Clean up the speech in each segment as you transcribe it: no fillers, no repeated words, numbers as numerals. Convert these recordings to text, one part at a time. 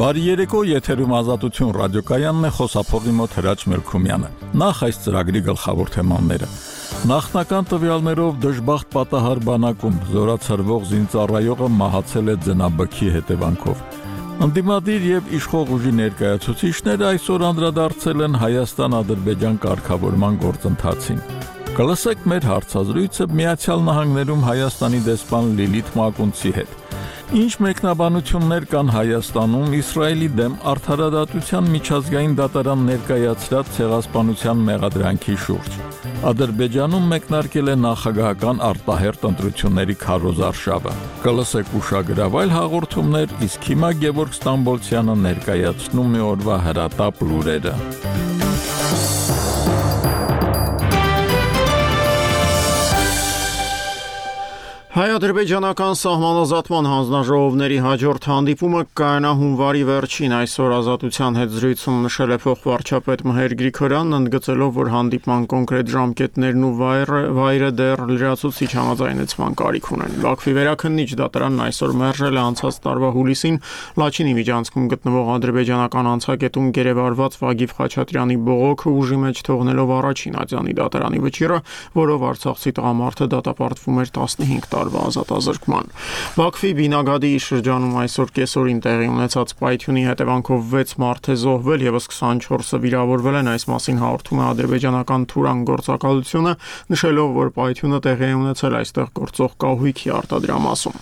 Բարի երեկո, եթերում Ազատություն ռադիոկայանն է, խոսափողի մոտ Հրաչ Մելքումյանը։ Նախ այս ծրագրի գլխավոր թեմաները։ Նախնական տվյալներով դժբախտ պատահար բանակում զորացրվող զինծառայողը մահացել է ձնաբքի հետևանքով։ Ընդդիմադիր եւ իշխող ուժի ներկայացուցիչները այսօր անդրադարձել են Հայաստան-Ադրբեջան կարգավորման գործընթացին։ Կլսեք մեր հարցազրույցը Միացյալ Նահանգներում Հայաստանի դեսպան Լիլիթ Մակունցի հետ։ Ինչ մեկնաբանություններ կան Հայաստանում Իսրայելի դեմ արդարադատության միջազգային դատարան ներկայացրած ցեղասպանության մեղադրանքի շուրջ։ Ադրբեջանում մեկնարկել է նախագահական արտահերթ ընտրությունների քարոզարշավը։ Կլսեք ուշագրավայր հաղորդումներ, իսկ հիմա Գևորգ Ստամբոլցյանը ներկայացնում է օրվա հրատապ լուրերը։ Հայ-ադրբեջանական սահմանազատման հանձնաժողովների հաջորդ հանդիպումը կայանա հունվարի վերջին, այսօր Ազատության հետ զրույցում նշել է փոխվարչապետ Մհեր Գրիգորյանն, ընդգծելով, որ հանդիպման կոնկրետ ժամկետներն ու վայրը դեռ լրացուցիչ համաձայնեցման կարիք ունեն։ Բաքվի վերաքննիչ դատարանն այսօր մերժել է անցած տարվա հուլիսին Լաչինի միջանցքում գտնվող ադրբեջանական անցակետում գերեվարված Վագիվ Խաչատրյանի բողոքը ուժի մեջ թողնելով առաջին ատյանի դատարանի վճիռը, որով արցախցի տղամարդը դատապարտվում էր 15 տարվա ազատազրկման։ Բաքվի Բինագադի շրջանում այսօր կեսօրին տեղի ունեցած պայթյունի հետևանքով 6 մարդ է զոհվել, եւս 24-ը վիրավորվել են, այս մասին հաղորդում է ադրբեջանական Թուրան գործակալությունը, նշելով, որ պայթյունը տեղի է ունեցել այստեղ գործող կահույքի արտադրամասում։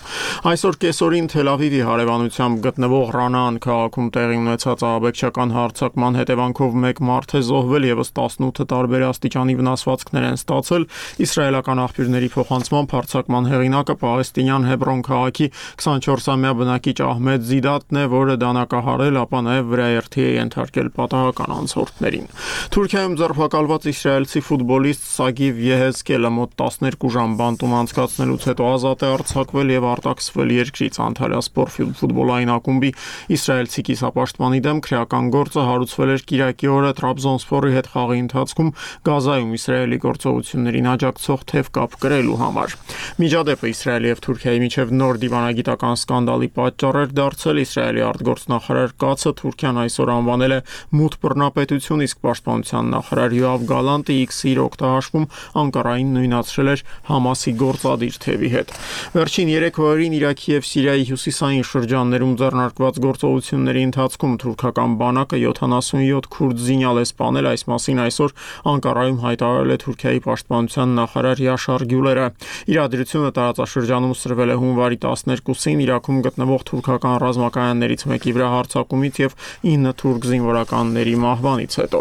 Այսօր կեսօրին Թել Ավիվի հարևանությամբ գտնվող Ռանան քաղաքում տեղի ունեցած ահաբեկչական հարձակման հետևանքով 1 մարդ է զոհվել, եւս 18 տարբեր աստիճանի վնասվածքներ են ստացել։ Իսրայելական աղբյուրների փոխանցմամբ հարձակման հեղինակը պաղեստինյան Հեբրոն քաղաքի 24-ամյա բնակիչ Ահմեդ Զիդատն է, որը դանակահարել, ապա նաև վրաերթի է ենթարկել պատահական անցորդներին։ Թուրքիայում ձերբակալված իսրայելցի ֆուտբոլիստ Սագիվ Եհեզկելը մոտ 12 ժամ բանտում անցկացնելուց հետո ազատ է արձակվել եւ արտաքսվել երկրից։ Անտալիա սպորտ ֆուտբոլային ակումբի իսրայելցի կիսապաշտպանի դեմ քրեական գործը հարուցվել էր կիրակի օրը Տրաբզոնսպորի հետ խաղի ընթացքում Գազայում Իսրայելի գործողություններին աջակցող թեւ կապ կրելու համար։ Միջադեպը Իսրայելի եւ Թուրքիայի միջև նոր դիվանագիտական սկանդալի պատճառ էր դարձել։ Իսրայելի արտգործնախարար Կացը Թուրքիան այսօր անվանել է մութ բռնապետություն, իսկ պաշտպանության նախարար Յոավ Գալանտը X-ի օգտահաշվում Անկարային նույնացրել էր Համասի գործադիր թևի հետ։ Վերջին 3 օրերին Իրաքի եւ Սիրիայի հյուսիսային շրջաններում ձեռնարկված գործողությունների ընթացքում թուրքական բանակը 77 քուրդ զինյալ է սպանել, այս մասին այսօր Անկարայում հայտարարել է Թուրքիայի պաշտպանության նախարար Յաշար Գյուլերը։ Իրադրությունը տարածաշրջանում սրվել է հունվարի 12-ին Իրաքում գտնվող թուրքական ռազմակայաններից մեկի վրա հարձակումից եւ 9 թուրք զինվորականների մահվանից հետո։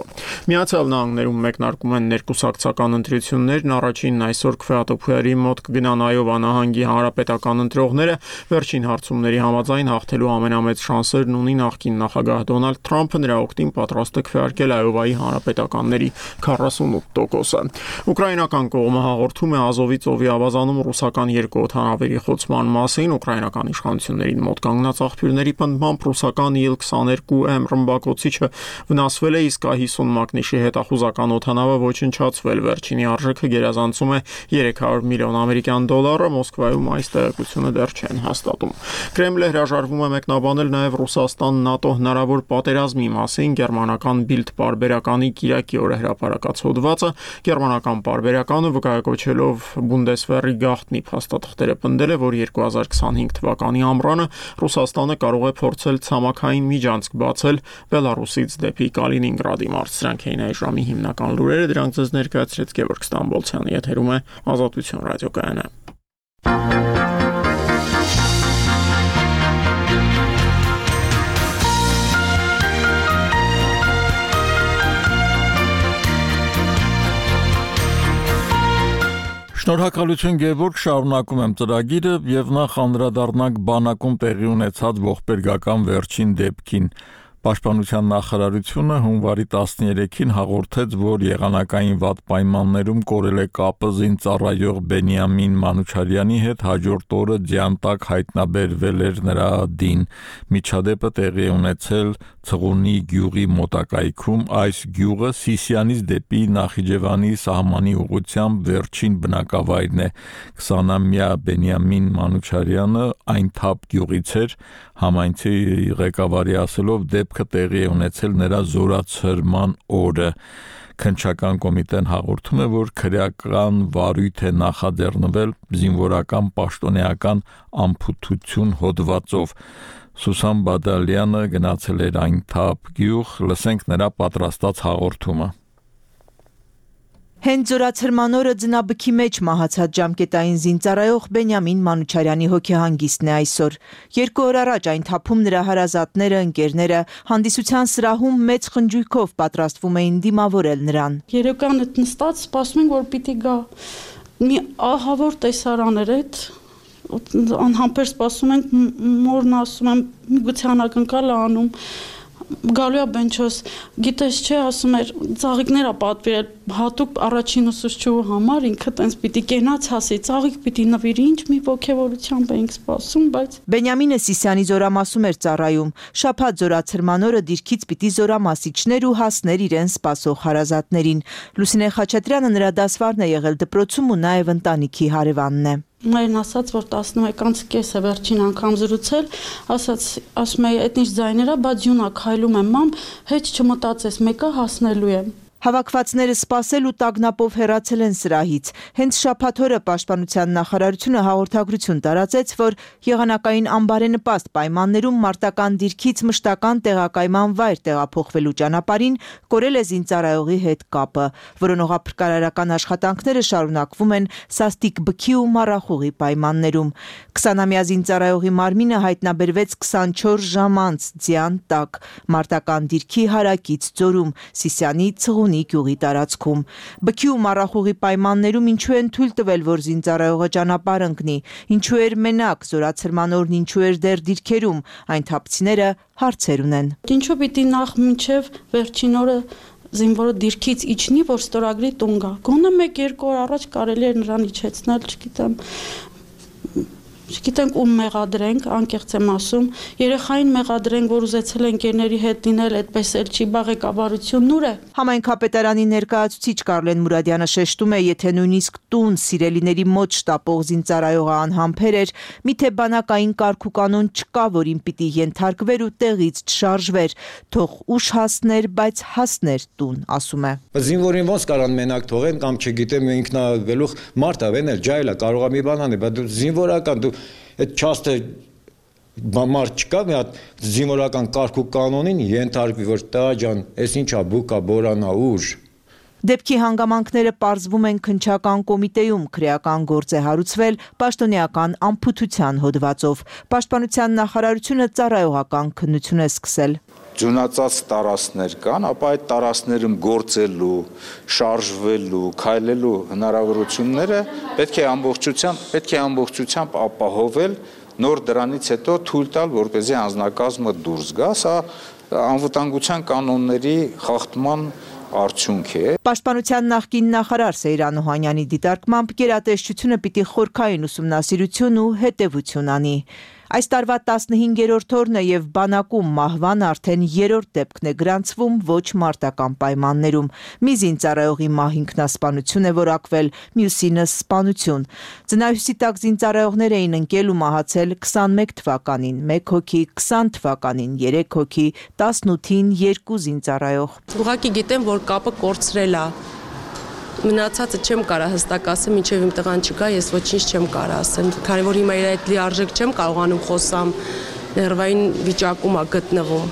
Միացյալ Նահանգներում մեկնարկում են ներկուսակցական ընտրություններն, առաջինն այսօր Քվեատոփուերի մոտ կգնան Այովա նահանգի հանրապետական ընտրողները, վերջին հարցումների համաձայն հաղթելու ամենամեծ շանսերն ունի նախկին նախագահ Դոնալդ Թրամփը, նրա օգտին պատրաստ է քվեարկել Այովայի հանրապետականների 48%-ը։ Ուկրաինական կողմը հաղորդում է Ազովի ծովի ավազանում ռուսական 2 օդանավերի խոցման մասին։ Ուկրաինական իշխանություններին մոտ կանգնած աղբյուրների պնդմամբ ռուսական Il-22M ռմբակոծիչը վնասվել է, իսկ A50 մակնիշի հետախուզական օդանավը ոչնչացվել։ Վերջինի արժեքը գերազանցում է 300 միլիոն ամերիկյան դոլարը, Մոսկվայում այս տեղեկությունը դեռ չեն հաստատում։ Կրեմլը հրաժարվում է մեկնաբանել նաև Ռուսաստան-ՆԱՏՕ հնարավոր պատերազմի մասին։ Գերմանական Bild պարբերականի կիրակի օրը հրապարակած հոդվածը գերմանական պարբերականը վկայակոչելով Բունդեսվերի գաղտնի փաստաթղթերը պնդել է, որ 2025 թվականի ամռանը Ռուսաստանը կարող է փորձել ցամաքային միջանցք բացել Բելարուսից դեպի Կալինինգրադի մարզ։ Սրանք էին այս ժամի հիմնական լուրերը, դրանք ձեզ ներկայացրեց Գևորգ Ստամբոլցյանը, եթերում է Ազատություն ռադիոկայանը։ Շնորհակալություն Գևորգ, շարունակում եմ ծրագիրը եւ նախ անդրադառնանք բանակում տեղի ունեցած ողբերգական վերջին դեպքին։ Պաշտպանության նախարարությունը հունվարի 13-ին հաղորդեց, որ եղանակային վատ պայմաններում կորել է կապը զինծառայող Բենյամին Մանուչարյանի հետ, հաջորդ օրը ձյան տակ հայտնաբերվել էր նրա դին։ Միջադեպը տեղի է ունեցել Ցղունի գյուղի մոտակայքում, այս գյուղը Սիսյանից դեպի Նախիջևանի սահմանի ուղղությամբ վերջին բնակավայրն է։ 20-ամյա Բենյամին Մանուչարյանը այն թափ գյուղից էր, համայնքի ղեկավարի ասելով դեպքը տեղի է ունեցել նրա զորացրման օրը։ Քննչական կոմիտեն հաղորդում է, որ քրեական վարույթ է նախաձեռնվել զինվորական պաշտոնեական անփութություն հոդվածով։ Սուսան Բադալյանը գնացել էր այն թափ գյուղ, լսենք նրա պատրաստած հաղորդումը։ Հենց զորացրման օրը ձնաբքի մեջ մահացած ժամկետային զինծառայող Բենյամին Մանուչարյանի հոգեհանգիստն է այսօր։ 2 օր առաջ այն թափում նրա հարազատները, ընկերները հանդիսության սրահում մեծ խնջույքով պատրաստվում էին դիմավորել նրան։ Երեկան այդ նստած սպասում ենք, որ պիտի գա։ Մի ահավոր տեսարան էր այդ, անհամբեր սպասում ենք, մորն ասում եմ, միգուցե անակնկալ է անում։ Գալու է Բենչոս, գիտես չէ, ասում էր, ծաղիկներ է պատվիրել հատուկ առաջին ուսուցչուհու համար, ինքը տենց պիտի կենաց հասի, ծաղիկ պիտի նվիրի, ինչ մի ոգևորությամբ էինք սպասում, բայց Բենյամինը Սիսյանի զորամասում էր ծառայում։ Շաբաթ զորացրման օրը դիրքից պիտի զորամասիչներ ու հասներ իրեն սպասող հարազատներին։ Լուսինե Խաչատրյանը նրա դասվարն է եղել դպրոցում ու նաև ընտանիքի հարևանն է։ Մայրն ասաց, որ 11-ից կես է վերջին անգամ զրուցել, ասում է, այդ ինչ ձայներ է, բա ձյուն է քայլում եմ, մամ, հեչ չմտածես, մեկը հասնելու եմ։ Հավաքվածները սպասել ու տագնապով հեռացել են սրահից։ Հենց շաբաթ օրը Պաշտպանության նախարարությունը հաղորդագրություն տարածեց, որ եղանակային անբարենպաստ պայմաններում մարտական դիրքից մշտական տեղակայման վայր տեղափոխվելու ճանապարհին կորել է զինծառայողի հետ կապը։ Որոնողափրկարարական աշխատանքները շարունակվում են սաստիկ բքի ու մառախուղի պայմաններում։ 20-ամյա զինծառայողի մարմինը հայտնաբերվեց 24 ժամ անց ձյան տակ մարտական դիրքի հարակից ձորում Սիսյանի Ցղունի գյուղի տարածքում։ Բքի ու մառախուղի պայմաններում ինչու են թույլ տվել, որ զինծառայողը ճանապարհ ընկնի, ինչու էր մենակ, զորացրման օրն ինչու էր դեռ դիրքերում, այն թափցիները հարցեր ունեն։ Ինչու պիտի նախ մինչև վերջին օրը զինվորը դիրքից իջնի, որ ստորագրի տուն գա։ Գոնե 1-2 օր առաջ կարելի էր նրան իջեցնել, չգիտենք ում մեղադրենք, անկեղծ եմ ասում, երեխային մեղադրենք, որ ուզեցել են ընկերների հետ լինել, այդպես էլ չի, բա ղեկավարությունն ուր է։ Համայնքապետարանի ներկայացուցիչ Կարլեն Մուրադյանը շեշտում է, եթե նույնիսկ տուն սիրելիների մոտ շտապող զինծառայողը անհամբեր էր, միթե բանակային կարգ ու կանոն չկա, որին պիտի ենթարկվեր ու տեղից չշարժվեր, թող ուշ հասներ, բայց հասներ տուն, ասում է։ Զինվորին ոնց կարան մենակ թողեն կամ չգիտեմ ինքնագլուխ մարդ է, վենել ջայլա, կարող է մի բան անել, բայց դու զինվորական դու այդ չաստը մարդ չկա, մի հատ զինվորական կարգ ու կանոնին ենթարկվի, որ տա ջան, այս ինչա բուկա, բորանա, ուժ։ Դեպքի հանգամանքները պարզվում են քննչական կոմիտեում, քրեական գործ է հարուցվել պաշտոնեական անփութության հոդվածով։ Պաշտպանության նախարարությունը ծառայողական քննություն է սկսել։ Ձյունածած տարածքներ կան, ապա այդ տարածքներում գործելու, շարժվելու, քայլելու հնարավորությունները պետք է ամբողջությամբ ապահովել, նոր դրանից հետո թույլ տալ, որպեսզի անձնակազմը դուրս գա, սա անվտանգության կանոնների խախտման արդյունք է։ Պաշտպանության նախկին նախարար Սեյրան Օհանյանի դիտարկմամբ գերատեսչությունը պիտի խորքային ուսումնասիրություն ու հետևություն անի։ Այս տարվա 15-րդ օրն է եւ բանակում մահվան արդեն 3-րդ դեպքն է գրանցվում ոչ մարտական պայմաններում։ Մի զինծառայողի մահ ինքնասպանություն է որակվել, մյուսինը սպանություն։ Ձնահյուսի տակ զինծառայողներ էին ընկել ու մահացել 21 թվականին, 1 հոգի 20 թվականին, 3 հոգի 18-ին 2 զինծառայող։ Ուղղակի գիտեմ, որ կապը կորցրել է։ Մնացածը չեմ կարող հստակ ասեմ, մինչև իմ տղան չգա, ես ոչինչ չեմ կարող ասեմ, քանի որ հիմա իր այդ լիարժեք չեմ կարողանում խոսամ, ներվային վիճակում է գտնվում։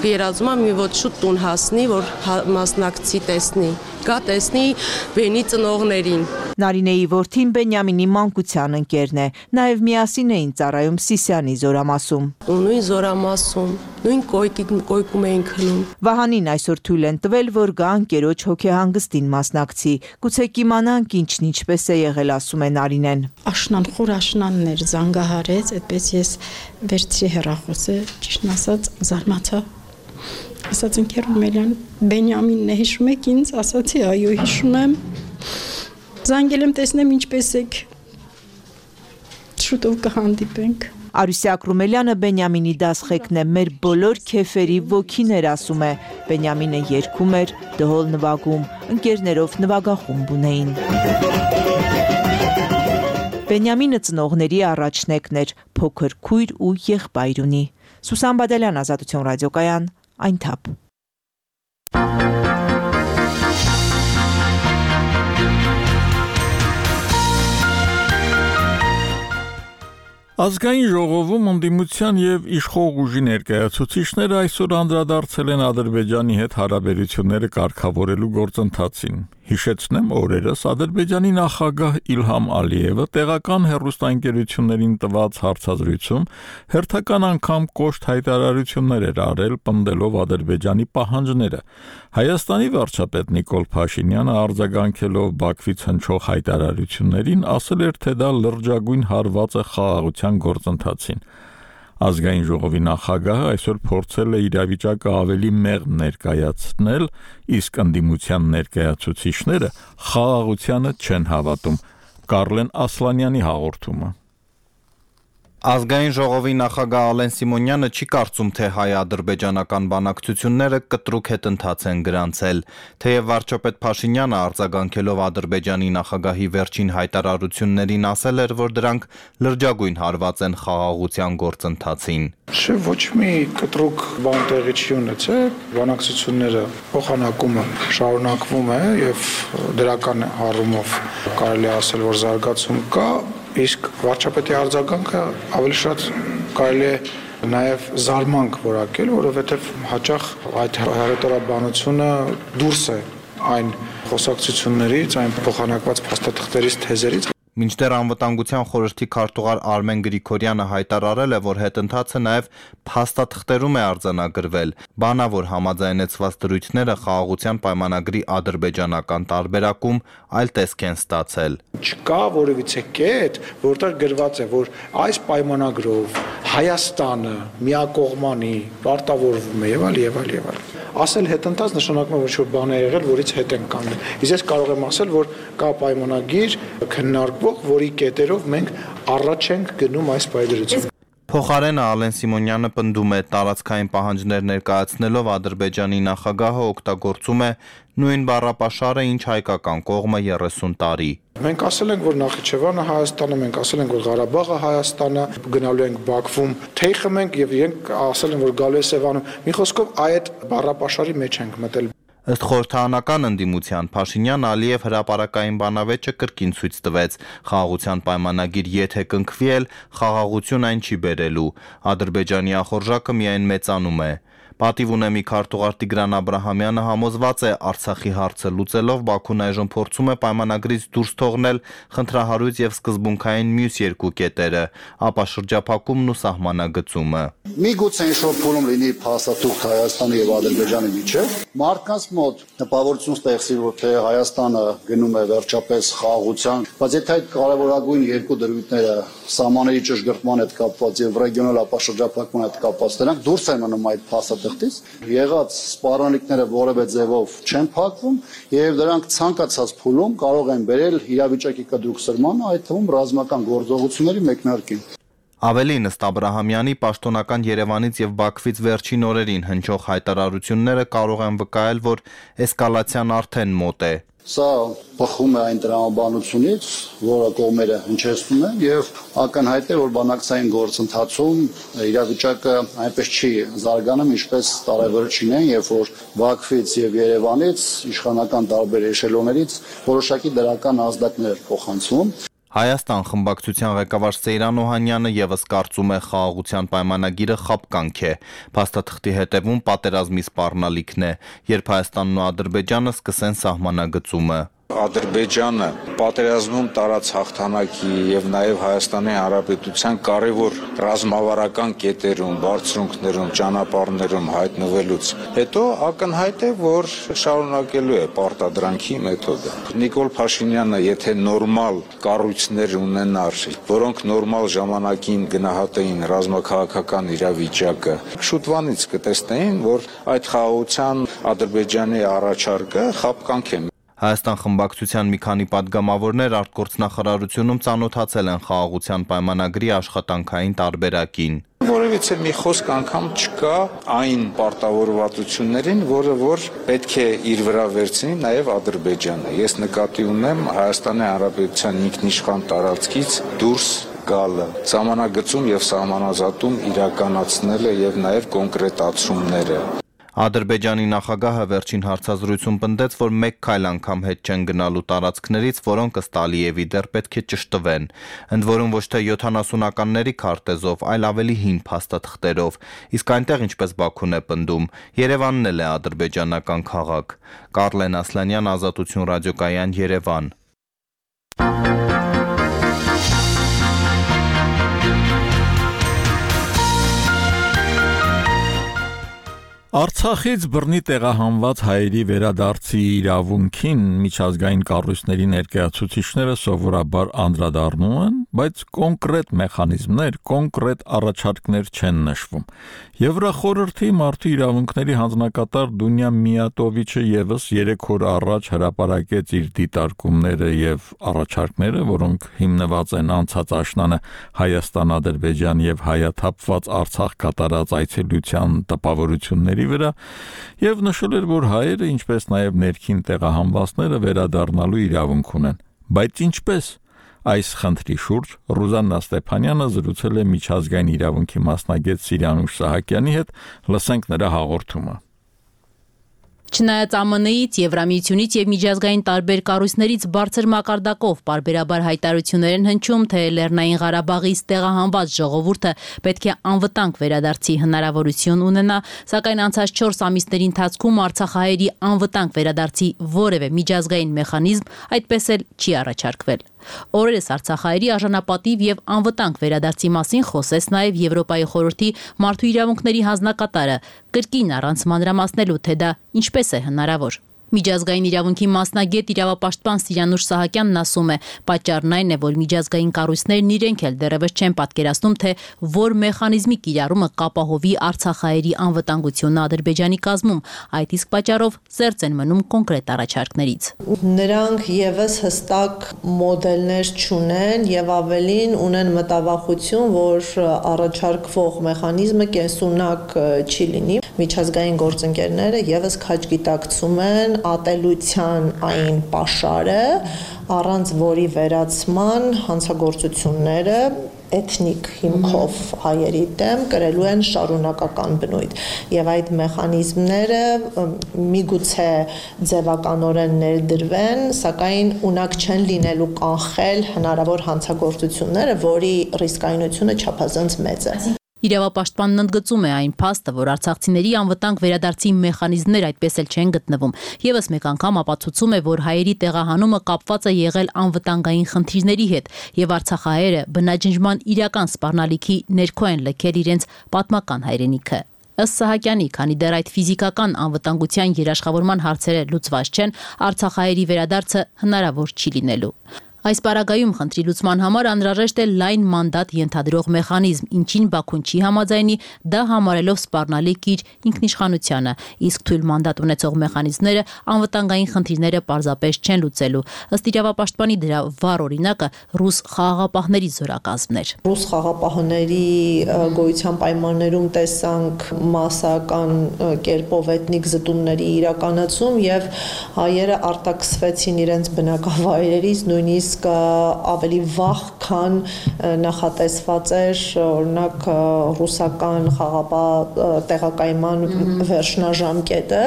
Երազում եմ մի ոտ շուտ տուն հասնի, որ մասնակցի տեսնի, գա տեսնի բենի ծնողներին։ Նարինեի որդին Բենյամինի մանկության ընկերն է, նաև միասին էին ծառայում Սիսյանի զորամասում։ Նույն զորամասում, նույն կոյկում էին քնում։ Վահանին այսօր թույլ են տվել, որ գա ընկերոջ հոգեհանգստին մասնակցի։ Գուցե կիմանանք ինչն ինչպես է եղել, ասում է Նարինեն։ Աշնան խոր աշնանն էր, զանգահարեց, այդպես ես վերցրի հեռախոսը, ճիշտն ասած զարմացա։ Ասաց ընկեր Ռումելյան, Բենյամինն է, հիշում եք ինձ, ասացի, այո, հիշում եմ։ Զանգել եմ տեսնեմ ինչպես եք։ Շուտով կհանդիպենք։ Արուսյակ Ռումելյանը Բենյամինի դասղեկն է, մեր բոլոր քեֆերի ոգիներ, ասում է։ Բենյամինը երգում էր, դհոլ նվագում, ընկերներով նվագախումբ ունեին։ Բենյամինը ծնողների առաջնեկն էր, փոքր քույր ու եղբայր ունի։ Սուսան Բադալյան, Ազատություն ռադիոկայան, Այնթապ։ Ազգային ժողովում ընդդիմության եւ իշխող ուժի ներկայացուցիչները այսօր անդրադարձել են Ադրբեջանի հետ հարաբերությունները կարգավորելու գործընթացին։ Հիշեցնեմ, օրերս Ադրբեջանի նախագահ Իլհամ Ալիևը տեղական հեռուստաընկերություններին տված հարցազրույցում հերթական անգամ կոշտ հայտարարություններ էր արել, պնդելով Ադրբեջանի պահանջները։ Հայաստանի վարչապետ Նիկոլ Փաշինյանը արձագանքելով Բաքվից հնչող հայտարարություններին ասել էր, թե դա լրջագույն հարված է խաղաղության գործընթացին։ Ազգային ժողովի նախագահը այսօր փորձել է իրավիճակը ավելի մեղմ ներկայացնել, իսկ ընդդիմության ներկայացուցիչները խաղաղությանը չեն հավատում։ Կարլեն Ասլանյանի հաղորդումը։ Ազգային ժողովի նախագահ Ալեն Սիմոնյանը չի կարծում, թե հայ-ադրբեջանական բանակցությունները կտրուկ հետընթաց են գրանցել, թեև վարչապետ Փաշինյանը արձագանքելով Ադրբեջանի նախագահի վերջին հայտարարություններին ասել էր, որ դրանք լրջագույն հարված են խաղաղության գործընթացին։ Ոչ մի կտրուկ բան տեղի չի ունեցել, բանակցությունները փոխանակումը շարունակվում է եւ դրական առումով կարելի է ասել, որ զարգացում կա, իսկ վարչապետի արձագանքը ավելի շատ կարելի է նաև զարմանք որակել, որովհետև հաճախ այդ հռետորաբանությունը դուրս է այն խոսակցություններից, այն փոխանակված փաստաթղթերից, թեզերից։ Մինչդեռ անվտանգության խորհրդի քարտուղար Արմեն Գրիգորյանը հայտարարել է, որ հետընթացը նաև փաստաթղթերում է արձանագրվել, բանա որ համաձայնեցված դրույթները խաղաղության պայմանագրի ադրբեջանական տարբերակում այլ տեսք են ստացել։ Չկա որևիցե կետ, որտեղ գրված է, որ այս պայմանագրով Հայաստանը միակողմանի պարտավորվում է եւ այլ եւ այլ եւ այլ։ Ասել հետընթաց նշանակում է, որ ինչ-որ բան է եղել, որից հետ են կանգնել։ Իսկ ես կարող եմ ասել, որ կա պայմանագիր քննարկվող, որի կետերով մենք առաջ ենք գնում այս պայմանագրությամբ։ Փոխարենը Ալեն Սիմոնյանը պնդում է, տարածքային պահանջներ ներկայացնելով Ադրբեջանի նախագահը օգտագործում է նույն բառապաշարը, ինչ հայկական կողմը 30 տարի։ Մենք ասել ենք, որ Նախիջևանը Հայաստանը, մենք ասել ենք, որ Ղարաբաղը Հայաստանը, գնալու ենք Բաքվում, թեյ խմենք եւ իրենք ասել են, որ գալու է Սևանում։ Մի խոսքով այդ բառապաշարի մեջ ենք մտել։ Ըստ խորհրդարանական ընդդիմության Փաշինյան Ալիև հրապարակային բանավեճը կրկին ցույց տվեց խաղաղության պայմանագիր եթե կնքվի էլ խաղաղություն այն չի բերելու Ադրբեջանի ախորժակը միայն մեծանում է Պատիվ ունեմի քարտուղար Տիգրան Աբրահամյանը համոզված է Արցախի հարցը լուծելով Բաքուն այժմ փորձում է պայմանագրից դուրս թողնել խնդրահարույց եւ սկզբունքային մյուս երկու կետերը ապա շրջափակումն ու սահմանագծումը Միգուցե ինչ-որ փուլում լինի փաստաթուղթ Հայաստանի եւ Ադրբեջանի միջեւ մարդկանց մոտ տպավորություն ստեղծի որ թե Հայաստանը գնում է վերջապես խաղաղության բայց եթե այդ կարևորագույն երկու դրույթները սահմանների ճշգրտման հետ կապված եւ ռեգիոնալ ապաշրջափակման հետ կապված դրանք դուրս են մնում այդ փաստաթղթից եղած սպառնալիքները որևէ ձևով չեն փակվում եւ դրանք ցանկացած փուլում կարող են բերել իրավիճակի կտրուկսրմանը այդ թվում ռազմական գործողությունների մեկնարկին Ավելին ըստ Աբրահամյանի պաշտոնական Երևանից եւ Բաքվից վերջին օրերին հնչող հայտարարությունները կարող են վկայել, որ էսկալացիան արդեն մոտ է։ Սա բխում է այն տրամաբանությունից, որը կողմերը հնչեցնում են եւ ակնհայտ է, որ բանակցային գործընթացում իրավիճակը այնպես չի զարգանում, ինչպես տարեվերջին են, երբ որ Բաքվից եւ Երևանից իշխանական տարբեր էշելոններից որոշակի դրական ազդակներ փոխանցվում Հայաստան խմբակցության ղեկավար Սեյրան Օհանյանը եւս կարծում է խաղաղության պայմանագիրը խապկանք է։ Փաստաթղթի հետևում պատերազմի սպառնալիքն է, երբ Հայաստանն ու Ադրբեջանը սկսեն սահմանագծումը։ Ադրբեջանը պատերազմում տարած հաղթանակի եւ նաեւ Հայաստանի Հանրապետության կարևոր ռազմավարական կետերում, բարձրունքներում, ճանապարհներում հայտնվելուց հետո ակնհայտ է, որ շարունակելու է պարտադրանքի մեթոդը։ Նիկոլ Փաշինյանը, եթե նորմալ կառույցներ ունենար, որոնք նորմալ ժամանակին գնահատեին ռազմաքաղաքական իրավիճակը, շուտվանից կտեսնեին, որ այդ խաղաղության Ադրբեջանի առաջարկը խապկանք է։ Հայաստան խմբակցության մի քանի պատգամավորներ արտգործնախարարությունում ծանոթացել են խաղաղության պայմանագրի աշխատանքային տարբերակին։ Որևիցե մի խոսք անգամ չկա այն պարտավորվածություններին, որ պետք է իր վրա վերցնի նաև Ադրբեջանը։ Ես նկատի ունեմ Հայաստանի Հանրապետության ինքնիշխան տարածքից դուրս գալը, սահմանագծում եւ սահմանազատում իրականացնելը եւ նաեւ կոնկրետացումները։ Ադրբեջանի նախագահը վերջին հարցազրույցում պնդեց, որ մեկ քայլ անգամ հետ չեն գնալու տարածքներից, որոնք ըստ Ալիևի դեռ պետք է ճշտվեն։ Ընդ որում ոչ թե 70-ականների քարտեզով, այլ ավելի հին փաստաթղթերով։ Իսկ այնտեղ, ինչպես Բաքուն է պնդում, Երևանն էլ է ադրբեջանական քաղաք։ Կարլեն Ասլանյան, Ազատություն ռադիոկայան, Երևան։ Արցախից բռնի տեղահանված հայերի վերադարձի իրավունքին միջազգային կառույցների ներկայացուցիչները սովորաբար անդրադառնում են, բայց կոնկրետ մեխանիզմներ, կոնկրետ առաջարկներ չեն նշվում։ Եվրախորհրդի մարդու իրավունքների հանձնակատար Դունյա Միատովիչը եւս 3 օր առաջ հրապարակեց իր դիտարկումները եւ առաջարկները, որոնք հիմնված են անցած աշնանը Հայաստան-Ադրբեջան եւ հայաթափված Արցախ կատարած այցելության տպավորությունների վրա եւ նշել էր, որ հայերը, ինչպես նաեւ ներքին տեղահանվածները վերադառնալու իրավունք ունեն։ Բայց ինչպես այս խնդրի շուրջ Ռուզաննա Ստեփանյանը զրուցել է միջազգային իրավունքի մասնագետ Սիրիանուշ Սահակյանի հետ, լսենք նրա հաղորդումը։ Չնայած ԱՄՆ-ից, Եվրամիությունից եւ միջազգային տարբեր կառույցներից բարձր մակարդակով պարբերաբար հայտարարություններ են հնչում, թե Լեռնային Ղարաբաղից տեղահանված ժողովուրդը պետք է անվտանգ վերադարձի հնարավորություն ունենա, սակայն անցած 4 ամիսների ընթացքում արցախահայերի անվտանգ վերադարձի որևէ միջազգային մեխանիզմ այդպես էլ չի առաջարկվել։ Օրերս արցախահայերի արժանապատիվ եւ անվտանգ վերադարձի մասին խոսեց նաեւ Եվրոպայի խորհրդի մարդու իրավունքների հանձնակատարը, կրկին առանց մանրամասնելու, թե դա ինչպես է հնարավոր։ Միջազգային իրավունքի մասնագետ իրավապաշտպան Սիրիանուշ Սահակյանն ասում է, պատճառն այն է, որ միջազգային կառույցներն իրենք էլ դեռևս չեն պատկերացնում, թե որ մեխանիզմի կիրառումը կապահովի արցախահայերի անվտանգությունը Ադրբեջանի կազմում, այդ իսկ պատճառով զերծ են մնում կոնկրետ առաջարկներից։ Նրանք եւս հստակ մոդելներ չունեն եւ ավելին ունեն մտավախություն, որ առաջարկվող մեխանիզմը կենսունակ չի լինի։ Միջազգային գործընկերները եւս քաջ գիտակցում են ատելության այն պաշարը, առանց որի վերացման հանցագործությունները էթնիկ հիմքով հայերի դեմ կրելու են շարունակական բնույթ եւ այդ մեխանիզմները միգուցե ձևականորեն ներդրվեն, սակայն ունակ չեն լինելու կանխել հնարավոր հանցագործությունները, որի ռիսկայնությունը չափազանց մեծ է։ Իրավապաշտպանն ընդգծում է այն փաստը, որ արցախցիների անվտանգ վերադարձի մեխանիզմներ այդպես էլ չեն գտնվում։ Եվս մեկ անգամ ապացուցում է, որ հայերի տեղահանումը կապված է եղել անվտանգային խնդիրների հետ, եւ արցախահայերը բնաջնջման իրական սպառնալիքի ներքո են լքել իրենց պատմական հայրենիքը։ Ըստ Սահակյանի, քանի դեռ այդ ֆիզիկական անվտանգության երաշխավորման հարցերը լուծված չեն, արցախահայերի վերադարձը հնարավոր չի լինելու։ Այս պարագայում խնդրի լուծման համար անհրաժեշտ է լայն մանդատ ենթադրող մեխանիզմ, ինչին Բաքուն չի համաձայնի, դա համարելով սպառնալիք իր ինքնիշխանությանը, իսկ թույլ մանդատ ունեցող մեխանիզմները անվտանգային խնդիրները պարզապես չեն լուծելու։ Ըստ իրավապաշտպանի դրա վառ օրինակը ռուս խաղաղապահների զորակազմն էր։ Ռուս խաղաղապահների գոյության պայմաններում տեսանք մասսական կերպով էթնիկ զտումների իրականացում եւ հայերը արտաքսվեցին իրենց բնակավայրերից, նույնիսկ իսկ ավելի վաղ, քան նախատեսված էր օրինակ ռուսական խաղապահ տեղակայման վերջնաժամկետը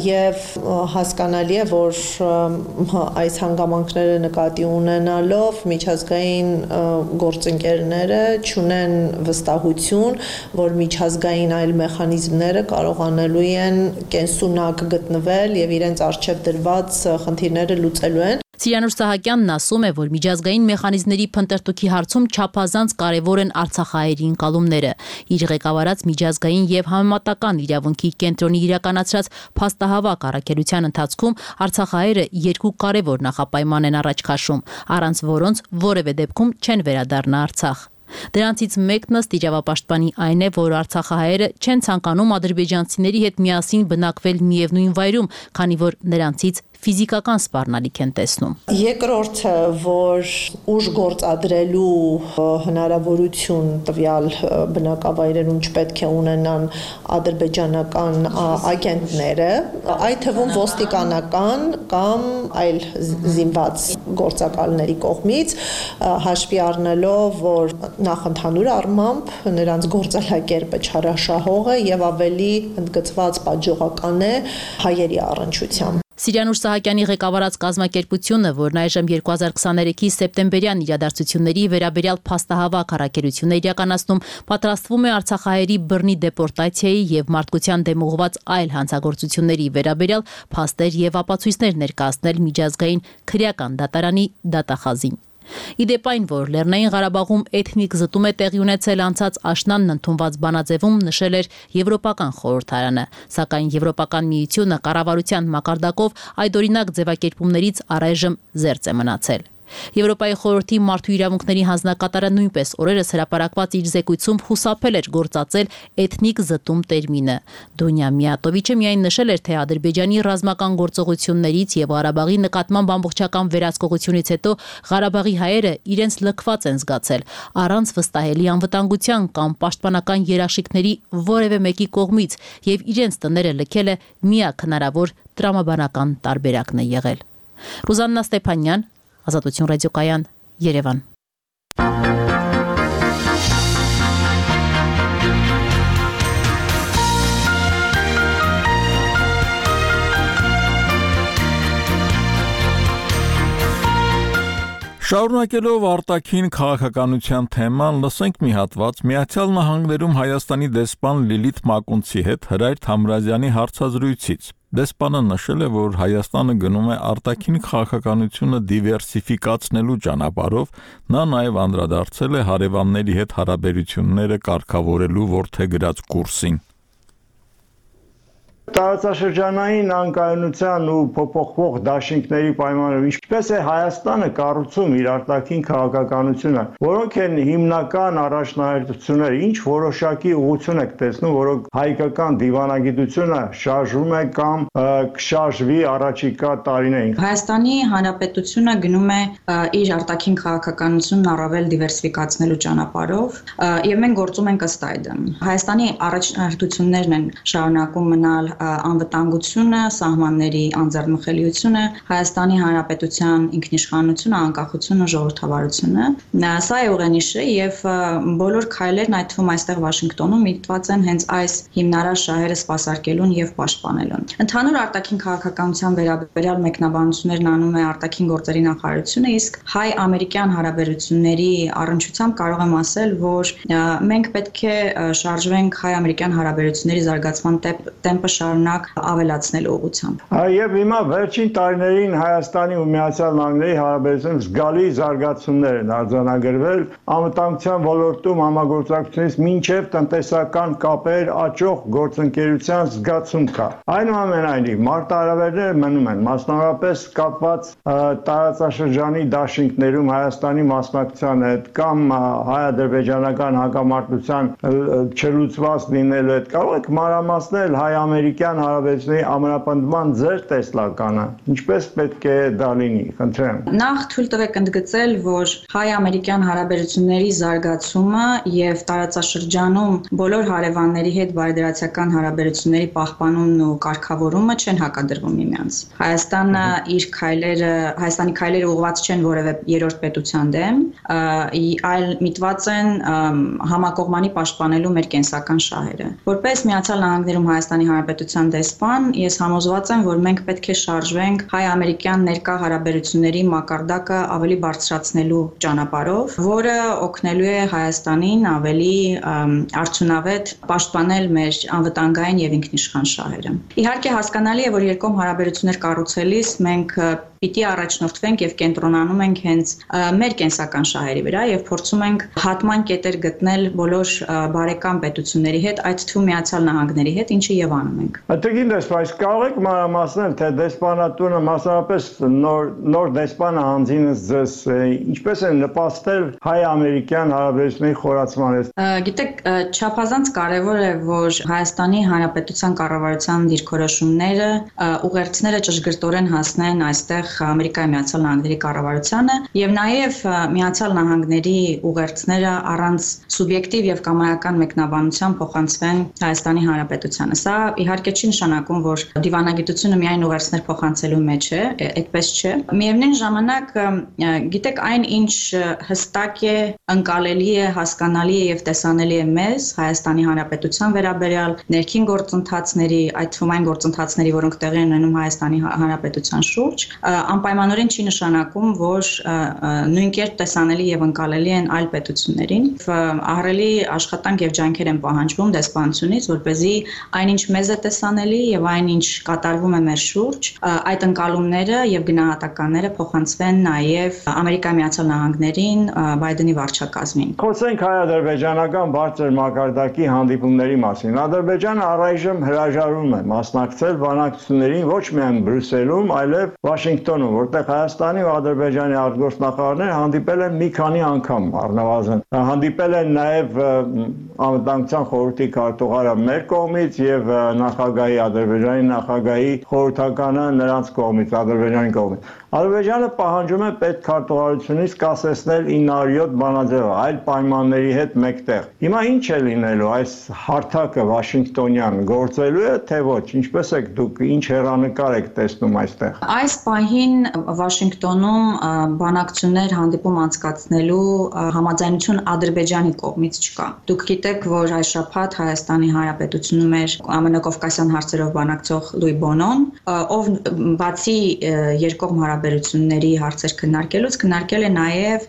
եւ հասկանալի է, որ այս հանգամանքները նկատի ունենալով միջազգային գործընկերները չունեն վստահություն, որ միջազգային այլ մեխանիզմները կարողանալու են կենսունակ գտնվել եւ իրենց առջեւ դրված խնդիրները լուծելու են։ Սիրանուշ Սահակյանն ասում է, որ միջազգային մեխանիզմների փնտրտուքի հարցում չափազանց կարևոր են արցախահայերի ընկալումները։ Իր ղեկավարած միջազգային եւ համեմատական իրավունքի կենտրոնի իրականացրած փաստահավաք առաքելության ընթացքում արցախահայերը երկու կարևոր նախապայման են առաջ քաշում, առանց որոնց որևէ դեպքում չեն վերադառնա Արցախ։ Դրանցից մեկն ըստ իրավապաշտպանի այն է, որ արցախահայերը չեն ցանկանում ադրբեջանցիների հետ միասին բնակվել միևնույն վայրում, քանի որ նրանցից ֆիզիկական սպառնալիք են տեսնում։ Երկրորդը, որ ուժ գործադրելու հնարավորություն տվյալ բնակավայրերում չպետք է ունենան ադրբեջանական ագենտները, այդ թվում ոստիկանական կամ այլ զինված գործակալների կողմից, հաշվի առնելով, որ նախ ընդհանուր առմամբ նրանց գործելակերպը չարաշահող է եւ ավելի ընդգծված պատժողական է հայերի առնչությամբ։ Սիրանուշ Սահակյանի ղեկավարած կազմակերպությունը, որն այժմ 2023-ի սեպտեմբերյան իրադարձությունների վերաբերյալ փաստահավաք առաքելություն է իրականացնում, պատրաստվում է արցախահայերի բռնի դեպորտացիայի եւ մարդկության դեմ ուղղված այլ հանցագործությունների վերաբերյալ փաստեր եւ ապացույցներ ներկայացնել միջազգային քրեական դատարանի դատախազին։ Իդեպ այն, որ Լեռնային Ղարաբաղում էթնիկ զտում է տեղի ունեցել անցած աշնանն ընդունված բանաձևում նշել էր Եվրոպական խորհրդարանը, սակայն Եվրոպական միությունը կառավարության մակարդակով այդօրինակ ձևակերպումներից առայժմ զերծ է մնացել։ Եվրոպայի խորհրդի մարդու իրավունքների հանձնակատարը նույնպես օրերս հրապարակված իր զեկույցում խուսափել էր գործածել էթնիկ զտում տերմինը։ Դոնյա Միատովիչը միայն նշել էր, թե Ադրբեջանի ռազմական գործողություններից եւ Ղարաբաղի նկատմամբ ամբողջական վերահսկողությունից հետո Ղարաբաղի հայերը իրենց լքված են զգացել, առանց վստահելի անվտանգության կամ պաշտպանական երաշխիքների որևէ մեկի կողմից եւ իրենց տները լքելը միակ հնարավոր տրամաբանական տարբերակն է եղել։ Ռուզաննա Ստեփանյան, Ազատություն ռադիոկայան, Երևան։ Շարունակելով արտաքին քաղաքականության թեման, լսենք մի հատված Միացյալ Նահանգներում Հայաստանի դեսպան Լիլիթ Մակունցի հետ Հրայր Թամրազյանի հարցազրույցից։ Դեսպանը նշել է, որ Հայաստանը գնում է արտաքին քաղաքականությունը դիվերսիֆիկացնելու ճանապարհով, նա նաև անդրադարձել է հարևանների հետ հարաբերությունները կարգավորելու որդեգրած կուրսին։ Տարածաշրջանային անկայունության ու փոփոխվող դաշինքների պայմաններով ինչպես է Հայաստանը կառուցում իր արտաքին քաղաքականությունը, որոնք են հիմնական առաջնահերթությունները, ինչ որոշակի ուղղություն եք տեսնում, որոնք հայկական դիվանագիտությունը շարժվում է կամ կշարժվի առաջիկա տարիներին։ Հայաստանի Հանրապետությունը գնում է իր արտաքին քաղաքականությունն առավել դիվերսիֆիկացնելու ճանապարհով եւ մենք գործում ենք ըստ այդմ։ Հայաստանի առաջնահերթություններն են շարունակում մնալ անվտանգությունը, սահմանների անձեռնմխելիությունը, Հայաստանի Հանրապետության ինքնիշխանությունը, անկախությունը, ժողովրդավարությունը։ Սա է ուղենիշը եւ բոլոր քայլերն, այդ թվում այստեղ Վաշինգտոնում միտված են հենց այս հիմնարար շահերը սպասարկելուն եւ պաշտպանելուն։ Ընդհանուր արտաքին քաղաքականության վերաբերյալ մեկնաբանություններն անում է արտաքին գործերի նախարարությունը, իսկ հայ-ամերիկյան հարաբերությունների առնչությամբ կարող եմ ասել, որ մենք պետք է շարժվենք հայ-ամերիկյան հարաբերությունների զարգացման տեմպը շարունակ ավելացնելու ուղղությամբ։ Եվ հիմա վերջին տարիներին Հայաստանի ու Միացյալ Նահանգների հարաբերությունների զգալի զարգացումներ են արձանագրվել անվտանգության ոլորտում համագործակցությունից մինչև տնտեսական կապեր աճող գործընկերության զգացում կա։ Այնուամենայնիվ մարտահրավերները մնում են, մասնավորապես կապված տարածաշրջանի դաշինքներում Հայաստանի մասնակցության հետ կամ հայ-ադրբեջանական հակամարտության չլուծված լինելու հետ։ Կարող եք մանրամասնել հայ-ամերիկյան հայ-ամերիկյան հարաբերությունների ամրապնդման ձեր տեսլականը, ինչպես պետք է դա լինի, խնդրեմ։ Նախ թույլ տվեք ընդգծել, որ հայ-ամերիկյան հարաբերությունների զարգացումը եւ տարածաշրջանում բոլոր հարևանների հետ բարեդրացիական հարաբերությունների պահպանումն ու կարգավորումը չեն հակադրվում միմյանց։ Հայաստանի քայլերը ուղղված չեն որևէ երրորդ պետության դեմ, այլ միտված են համակողմանի պաշտպանելու մեր կենսական շահերը։ Որպես Միացյալ Նահանգներում Հայաստանի Հանրապետության դեսպան, ես համոզված եմ, որ մենք պետք է շարժվենք հայ-ամերիկյան ներկա հարաբերությունների մակարդակը ավելի բարձրացնելու ճանապարհով, որը օգնելու է Հայաստանին ավելի արդյունավետ պաշտպանել մեր անվտանգային եւ ինքնիշխան շահերը։ Իհարկե հասկանալի է, որ երկկողմ հարաբերություններ կառուցելիս մենք պիտի առաջնորդվենք եւ կենտրոնանում ենք հենց մեր կենսական շահերի վրա եւ փորձում ենք հատման կետեր գտնել բոլոր բարեկամ պետությունների հետ, այդ թվում Միացյալ Նահանգների հետ, ինչը եւ անում ենք։ Ատեգին դեսպան, կարող եք մանրամասնել, թե դեսպանատունը մասնավորապես նոր դեսպանը հանձինս ձեզ ինչպես է նպաստել հայ-ամերիկյան հարաբերությունների խորացմանը։ Գիտեք, չափազանց կարեւոր է, որ Հայաստանի Հանրապետության կառավարության դիրքորոշումները ուղերձները ճշգրտորեն հասնեն այստեղ Ամերիկայի Միացյալ Նահանգների կառավարությանը եւ նաեւ Միացյալ Նահանգների ուղերձները առանց սուբյեկտիվ եւ կամայական մեկնաբանության փոխանցվեն Հայաստանի Հանրապետությանը։ Սա իհարկե չի նշանակում, որ դիվանագիտությունը միայն ուղերձներ փոխանցելու մեջ է, այդպես չէ։ Միևնույն ժամանակ, գիտեք, այն ինչ հստակ է, ընկալելի է, հասկանալի է եւ տեսանելի է մեզ Հայաստանի Հանրապետության վերաբերյալ ներքին գործընթացների, այդ թվում այն գործընթացների, որոնք տեղի են ունենում Հայաստանի Հանրապետության շուրջ, անպայմանորեն չի նշանակում, որ նույնքերպ տեսանելի եւ ընկալելի են այլ պետություններին։ Ահռելի աշխատանք եւ ջանքեր են պահանջվում դեսպանությունից, որպեսզի այնինչ մեզ է տեսանելի եւ այնինչ կատարվում է մեր շուրջ, այդ ընկալումները եւ գնահատականները փոխանցվեն նաեւ Ամերիկայի Միացյալ Նահանգներին, Բայդենի վարչակազմին։ Խոսենք հայ-ադրբեջանական բարձր մակարդակի հանդիպումների մասին։ Ադրբեջանը առայժմ հրաժարվում է մասնակցել բանակցություններին ոչ միայն Բրյուսելում, այլև Վաշինգտոնում, որտեղ Հայաստանի ու Ադրբեջանի արտգործնախարարները հանդիպել են մի քանի անգամ առնվազն։ Հանդիպել են նաև Անվտանգության խորհրդի քարտուղարը մեր կողմից եւ նախագահի Ադրբեջանի նախագահի խորհրդականը նրանց կողմից, Ադրբեջանի կողմից։ Ադրբեջանը պահանջում է պետքարտուղարությունից կասեցնել 907 բանաձևը այլ պայմանների հետ մեկտեղ։ Հիմա ինչ է լինելու այս հարթակը Վաշինգտոնյան գործելու է թե ոչ, ինչպես եք դուք ինչ հեռանկար եք տեսնում այստեղ։ Այս պահին Վաշինգտոնում բանակցություններ հանդիպում անցկացնելու համաձայնություն Ադրբեջանի կողմից չկա։ Դուք գիտեք, որ այս շաբաթ Հայաստանի Հանրապետությունում էր ամենակովկասյան հարցերով բանակցող Լուի Բոնոն, ով բացի երկկողմ հարաբերությունների հարցեր քննարկելուց քննարկել է նաև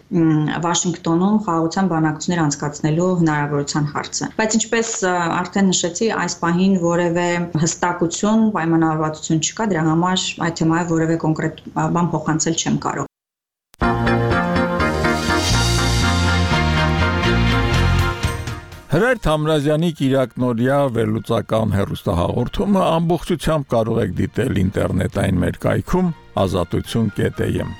Վաշինգտոնում խաղաղության բանակցություններ անցկացնելու հնարավորության հարցը։ Բայց ինչպես արդեն նշեցի, այս պահին որևէ հստակություն, պայմանավորվածություն չկա, դրա համար այդ թեմայով որևէ կոնկրետ բան փոխանցել չեմ կարող։ Հրայր Թամրազյանի Կիրակնորյա վերլուծական հեռուստահաղորդումը ամբողջությամբ կարող եք դիտել ինտերնետային մեր կայքում azatutun.am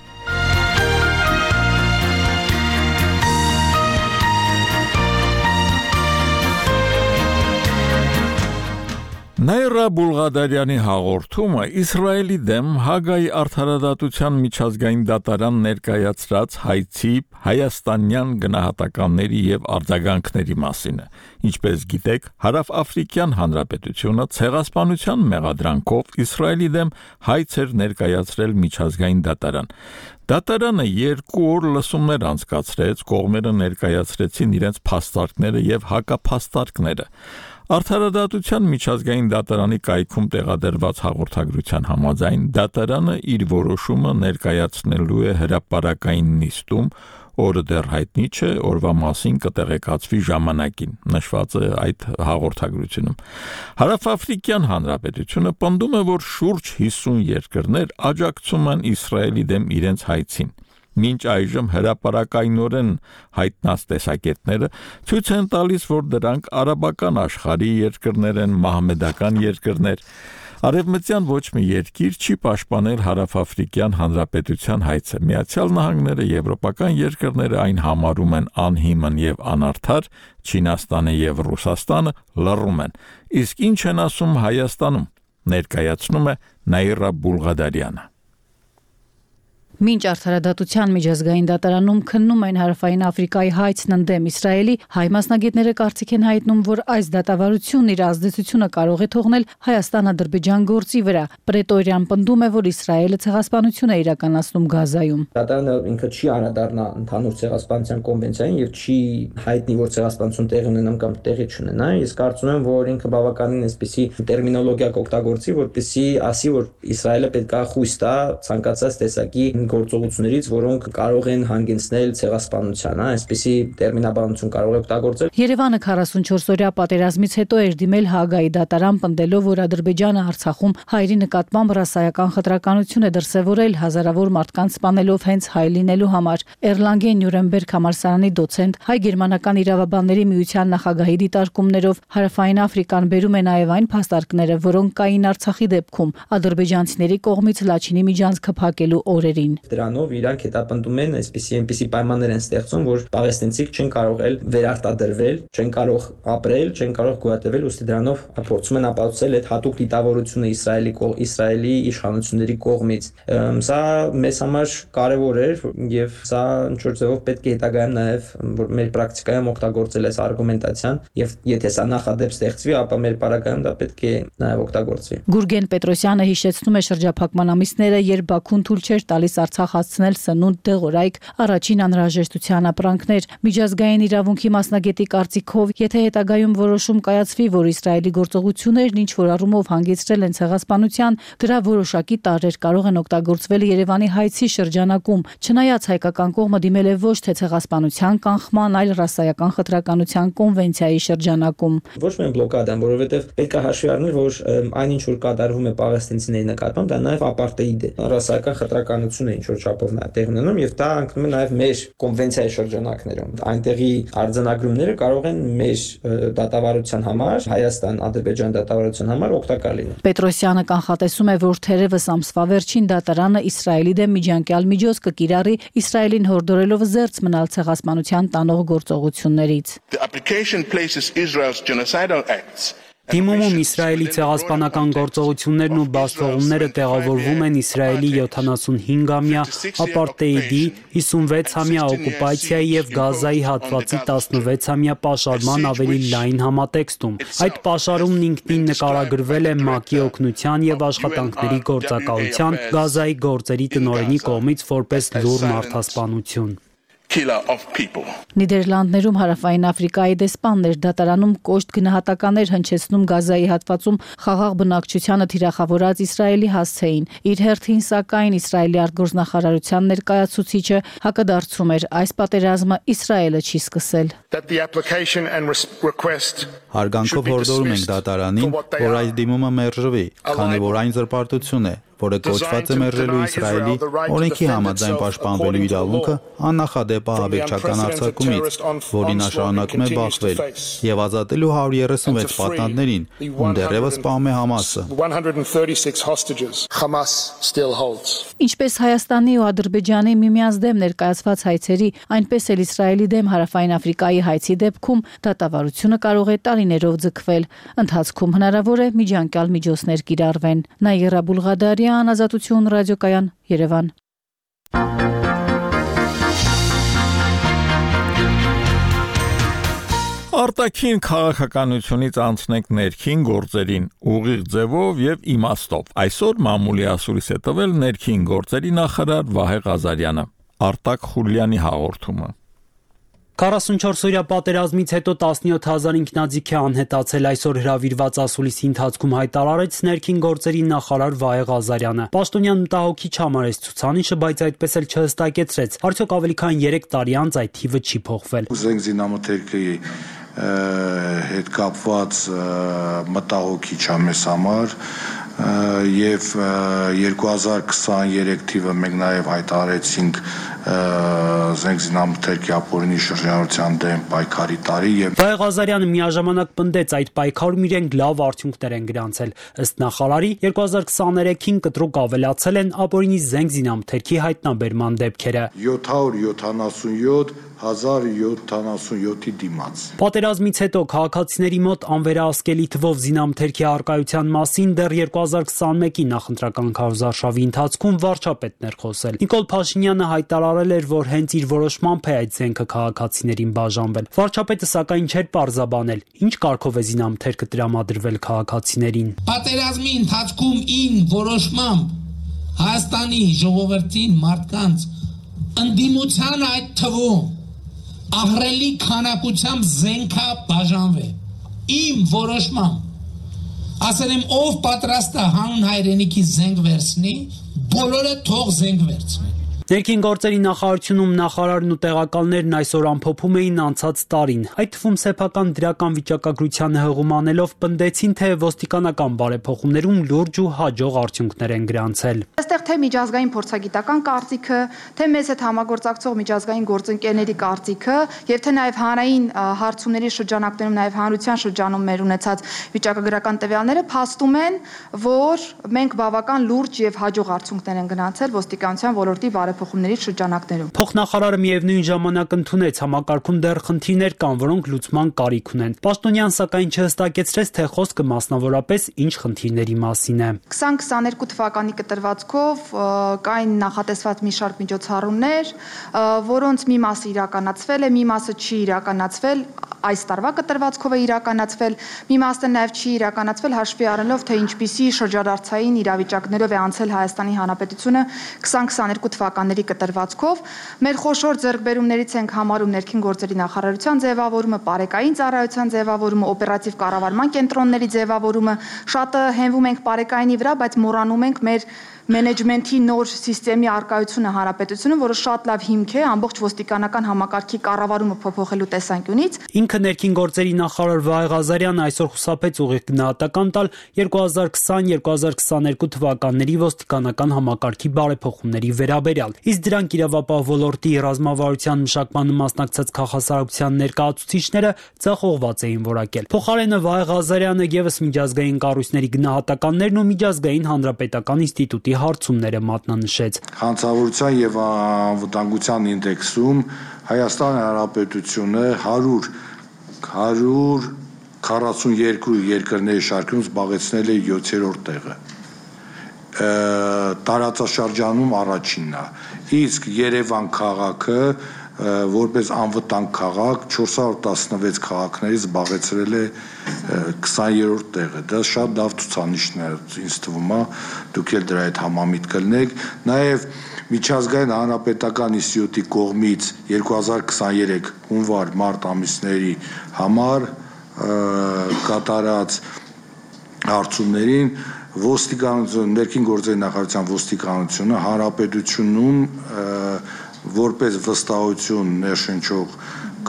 Նայրա Բուլղադարյանի հաղորդումը Իսրայելի դեմ Հագայի արդարադատության միջազգային դատարան ներկայացրած հայցի հայաստանյան գնահատականների եւ արձագանքների մասին է։ Ինչպես գիտեք, Հարավաֆրիկյան Հանրապետությունը ցեղասպանության մեղադրանքով Իսրայելի դեմ հայց էր ներկայացրել միջազգային դատարան։ Դատարանը 2 օր լսումներ անցկացրեց, կողմերը ներկայացրեցին իրենց փաստարկները եւ հակափաստարկները։ Արդարադատության միջազգային դատարանի կայքում տեղադրված հաղորդագրության համաձայն դատարանը իր որոշումը ներկայացնելու է հրապարակային նիստում, օրը դեռ հայտնի չէ, օրվա մասին կտեղեկացվի ժամանակին, նշված է այդ հաղորդագրությունում։ Հարավաֆրիկյան Հանրապետությունը պնդում է, որ շուրջ 50 երկրներ աջակցում են Իսրայելի դեմ իրենց հայցին։ Մինչ այժմ հրապարակայնորեն հայտնած տեսակետները ցույց են տալիս, որ դրանք արաբական աշխարհի երկրներ են, մահմեդական երկրներ։ Արևմտյան ոչ մի երկիր չի պաշտպանել Հարավաֆրիկյան Հանրապետության հայցը։ Միացյալ Նահանգները, եվրոպական երկրները այն համարում են անհիմն եւ անարդար, Չինաստանը եւ Ռուսաստանը լռում են։ Իսկ ինչ են ասում Հայաստանում։ ներկայացնում է Նաիրա Բուլղադարյանը։ Մինչ արդարադատության միջազգային դատարանում քննում են Հարավային Աֆրիկայի հայցն ընդդեմ Իսրայելի, հայ մասնագետները կարծիք են հայտնում, որ այս դատավարությունն իր ազդեցությունը կարող է թողնել Հայաստան-Ադրբեջան գործի վրա։ Պրետորիան պնդում է, որ Իսրայելը ցեղասպանություն է իրականացնում Գազայում։ Դատարանը ինքը չի անդրադառնա ընդհանուր ցեղասպանության կոնվենցիային եւ չի հայտնի, որ ցեղասպանություն տեղի ունենա կամ տեղի չունենա։ Ես կարծում եմ, որ ինքը բավականին այսպիսի տերմինոլոգիա կօգտագործի, որպեսզի ասի, որ Իսրայելը պետք է խույս տա ցանկացած տեսակի գործողություններից, որոնք կարող են հանգեցնել ցեղասպանության, այսպիսի տերմինաբանություն կարող է օգտագործել։ Երևանը 44-օրյա պատերազմից հետո էր դիմել Հաագայի դատարան, պնդելով, որ Ադրբեջանը Արցախում հայերի նկատմամբ ռասայական խտրականություն է դրսևորել, հազարավոր մարդկանց սպանելով հենց հայ լինելու համար։ Էրլանգեն Նյուրնբերգ համալսարանի դոցենտ, հայ-գերմանական իրավաբանների միության նախագահի դիտարկումներով Հարավային Աֆրիկան բերում է նաև այն փաստարկները, որոնք կային Արցախի դեպքում ադրբեջանցիների կողմից Լաչինի միջանցքը փակելու օրերին։ Դրանով իրանք հետապնդում են այսպիսի պայմաններ են ստեղծում, որ պաղեստինցիք չեն կարող վերարտադրվել, չեն կարող ապրել, չեն կարող գոյատևել, ուստի դրանով փորձում են ապացուցել այդ հատուկ դիտավորությունը Իսրայելի իշխանությունների կողմից։ Սա մեզ համար կարևոր էր եւ սա ինչ-որ ձևով պետք է հետագայում նաեւ որ մեր պրակտիկայում օգտագործել այս արգումենտացիան եւ եթե սա նախադեպ ստեղծվի, ապա մեր պարագայում դա պետք է նաեւ օգտագործվի։ Գուրգեն Պետրոսյանը հիշեցնում է շրջափակման ամիսները, երբ Բաքուն թույլ չէր տալիս Արցախ հասցնել սնունդ դեղորայք առաջին անհրաժեշտության ապրանքներ։ Միջազգային իրավունքի մասնագետի կարծիքով, եթե հետագայում որոշում կայացվի, որ Իսրայելի գործողություններն ինչ որ առումով հանգեցրել են ցեղասպանության, դրա որոշակի տարրեր կարող են օգտագործվել Երևանի հայցի շրջանակում, չնայած հայկական կողմը դիմել է ոչ թե ցեղասպանության կանխման, այլ ռասայական խտրականության կոնվենցիայի շրջանակում։ Ոչ միայն բլոկադան, որովհետև պետք է հաշվի առնել, որ այն ինչ որ կատարվում է պաղեստինցիների նկատմամբ, դա նաև ապարտեիդ է, ռասայական խտրականություն է ինչ որ չափով տեղ ունենում եւ դա անկնում է նաև մեր կոնվենցիայի շրջանակներում։ Այնտեղի արձանագրումները կարող են մեր դատավարության համար, Հայաստան-Ադրբեջան դատավարության համար օգտակար լինել։ Պետրոսյանը կանխատեսում է, որ թերևս ամսվա վերջին դատարանը Իսրայելի դեմ միջանկյալ միջոց կկիրառի, Իսրայելին հորդորելով զերծ մնալ ցեղասպանության տանող գործողություններից։ Դիմումում Իսրայելի ցեղասպանական գործողություններն ու բացթողումները տեղավորվում են Իսրայելի 75-ամյա ապարտեիդի, 56-ամյա օկուպացիայի եւ Գազայի հատվածի 16-ամյա պաշարման ավելի լայն համատեքստում։ Այդ պաշարումն ինքնին նկարագրվել է ՄԱԿ-ի օգնության եւ աշխատանքների գործակալության Գազայի գործերի տնօրենի կողմից որպես լուռ մարդասպանություն։ Նիդերլանդներում Հարավային Աֆրիկայի դեսպաններ դատարանում կոշտ գնահատականներ հնչեցնում Գազայի հատվածում խաղաղ բնակչությանը թիրախավորած Իսրայելի հասցեին։ Իր հերթին, սակայն, Իսրայելի արտգործնախարարության ներկայացուցիչը հակադարձում էր, այս պատերազմը Իսրայելը չի սկսել։ Հարգանքով հորդորում ենք դատարանին, որ այս դիմումը մերժվի, քանի որ այն զրպարտություն է, որը կոչված է մերժելու Իսրայելի օրենքի համաձայն պաշտպանվելու իրավունքը աննախադեպ ահաբեկչական արձակումից, որին նա շարունակում է բախվել, եւ ազատելու 136 պատանդներին, ում դեռևս սպանում է Համասը։ Ինչպես Հայաստանի ու Ադրբեջանի միմյանց դեմ ներկայացված հայցերի, այնպես էլ Իսրայելի դեմ Հարավային Աֆրիկայի հայցի դեպքում դատավարությունը կարող է տարիներով ձգվել։ Ընթացքում հնարավոր է միջանկյալ միջոցներ կիրառվեն։ Նաիրա Բուլղադարյան, Ազատություն ռադիոկայան, Երևան։ Արտաքին քաղաքականությունից անցնենք ներքին գործերին, ուղիղ ձևով եւ իմաստով։ Այսօր մամուլի ասուրից է տվել ներքին գործերի նախարար Վահե Ղազարյանը։ Արտակ Խուլյանի հաղորդումը։ 44-օրյա պատերազմից հետո 17,000 ինքնաձիգ է անհետացել, այսօր հրավիրված ասուլիսի ընթացքում հայտարարեց ներքին գործերի նախարար Վահե Ղազարյանը։ Պաշտոնյան մտահոգիչ համարեց ցուցանիշը, բայց այդպես էլ չհստակեցրեց, արդյոք ավելի քան 3 տարի անց այդ թիվը չի փոխվել։ Զենք զինամթերքի հետ կապված մտահոգիչ է մեզ համար եւ 2023 թիվը մենք նաեւ հայտարարեցինք զենքզինամթերքի ապօրինի շրջանառության դեմ պայքարի տարի եւ Վահե Ղազարյանը միաժամանակ պնդեց այդ պայքարում իրենք լավ արդյունքներ են գրանցել։ Ըստ նախարարի 2023-ին կտրուկ ավելացել են ապօրինի զենքզինամթերքի հայտնաբերման դեպքերը։ 777-1077-ի դիմաց։ Պատերազմից հետո քաղաքացիների մոտ անվերահսկելի թվով զինամթերքի առկայության մասին դեռ 2021-ի նախընտրական քարոզարշավի ընթացքում վարչապետն էր խոսել։ Նիկոլ Փաշինյանը հայտարարել էր, որ հենց իր որոշմամբ է այդ զենքը քաղաքացիներին բաժանվել։ Վարչապետը սակայն չէր պարզաբանել, ինչ կարգով է զինամթերքը տրամադրվել քաղաքացիներին։ Պատերազմի ընթացքում ին որոշմամբ Հայաստանի ժողովրդին մարդկանց ընդդիմության այդ թվում ահռելի քանակությամբ զենքա բաժանվե։ Իմ որոշմամբ ասել եմ ով պատրաստ է հանուն հայրենիքի զենք վերցնի, բոլորը թող զենք վերցնեն։ Ներքին գործերի նախարարությունում նախարարն ու տեղակալներն այսօր ամփոփում էին անցած տարին։ Այդ թվում սեփական դրական վիճակագրությանը հղում անելով պնդեցին, թե ոստիկանական բարեփոխումներում լուրջ ու հաջող արդյունքներ են գրանցել։ Այստեղ թե միջազգային փորձագիտական կարծիքը, թե մեզ հետ համագործակցող միջազգային գործընկերների կարծիքը, եւ թե նաեւ հանրային հարցումների շրջանակներում, նաեւ հանրության շրջանում մեր ունեցած վիճակագրական տվյալները փաստում են, որ մենք բավական լուրջ եւ հաջող արդյունքներ են գրանցել ոստիկանության ոլորտի փոխումների շրջանակներում։ Փոխնախարարը միևնույն ժամանակ ընդունեց համակարգում դեռ խնդիրներ կան, որոնք լուծման կարիք ունեն։ Պաշտոնյան սակայն չհստակեցրեց, թե խոսքը մասնավորապես ինչ խնդիրների մասին է։ 2022 թվականի կտրվածքով կային նախատեսված մի շարք միջոցառումներ, որոնց մի մասը իրականացվել է, մի մասը չի իրականացվել, այս տարվա կտրվածքով է իրականացվել, մի մասը նաև չի իրականացվել հաշվի առնելով, թե ինչպիսի շրջադարձային իրավիճակներով է անցել Հայաստանի Հանրապետությունը 2022 թվականների կտրվածքով։ Մեր խոշոր ձեռքբերումներից ենք համարում ներքին գործերի նախարարության ձևավորումը, պարեկային ծառայության ձևավորումը, օպերատիվ կառավարման կենտրոնների ձևավորումը, շատը հենվում ենք պարեկայինի վրա, բայց մոռանում ենք մեր մենեջմենթի նոր սիստեմի արկայությունը հանրապետությունում, որը շատ լավ հիմք է ամբողջ ոստիկանական համակարգի կառավարումը փոփոխելու տեսանկյունից։ Ինքը ներքին գործերի նախարար Վահե Ղազարյանը այսօր խուսափեց ուղիղ գնահատական տալ 2020-2022 թվականների ոստիկանական համակարգի բարեփոխումների վերաբերյալ։ Իսկ դրանք իրավապահ ոլորտի ռազմավարության մշակմանը մասնակցած քաղաքասարության ներկայացուցիչները ձախողված էին որակել։ Փոխարենը Վահե Ղազարյանը եւս միջազգային կառույցների գնահատականներն ու միջազգային հանրապետական ինստիտուտի հարցումները մատնանշեց։ Հանցավորության եւ անվտանգության ինդեքսում Հայաստանի Հանրապետությունը 142 երկրների շարքում զբաղեցնել է 7-րդ տեղը։ Տարածաշրջանում առաջինն է։ Իսկ Երևան քաղաքը որպես անվտանգ քաղաք 416 քաղաքներից զբաղեցրել է 20-րդ տեղը։ Դա շատ լավ ցուցանիշն է, ինձ թվում է, դուք էլ դրա հետ համամիտ կլինեք։ Նաև միջազգային հանրապետական ինստիտուտի կողմից 2023 հունվար-մարտ ամիսների համար կատարած հարցումներին ոստիկանություն, ներքին գործերի նախարարության ոստիկանությունը հանրապետությունում որպես վստահություն ներշնչող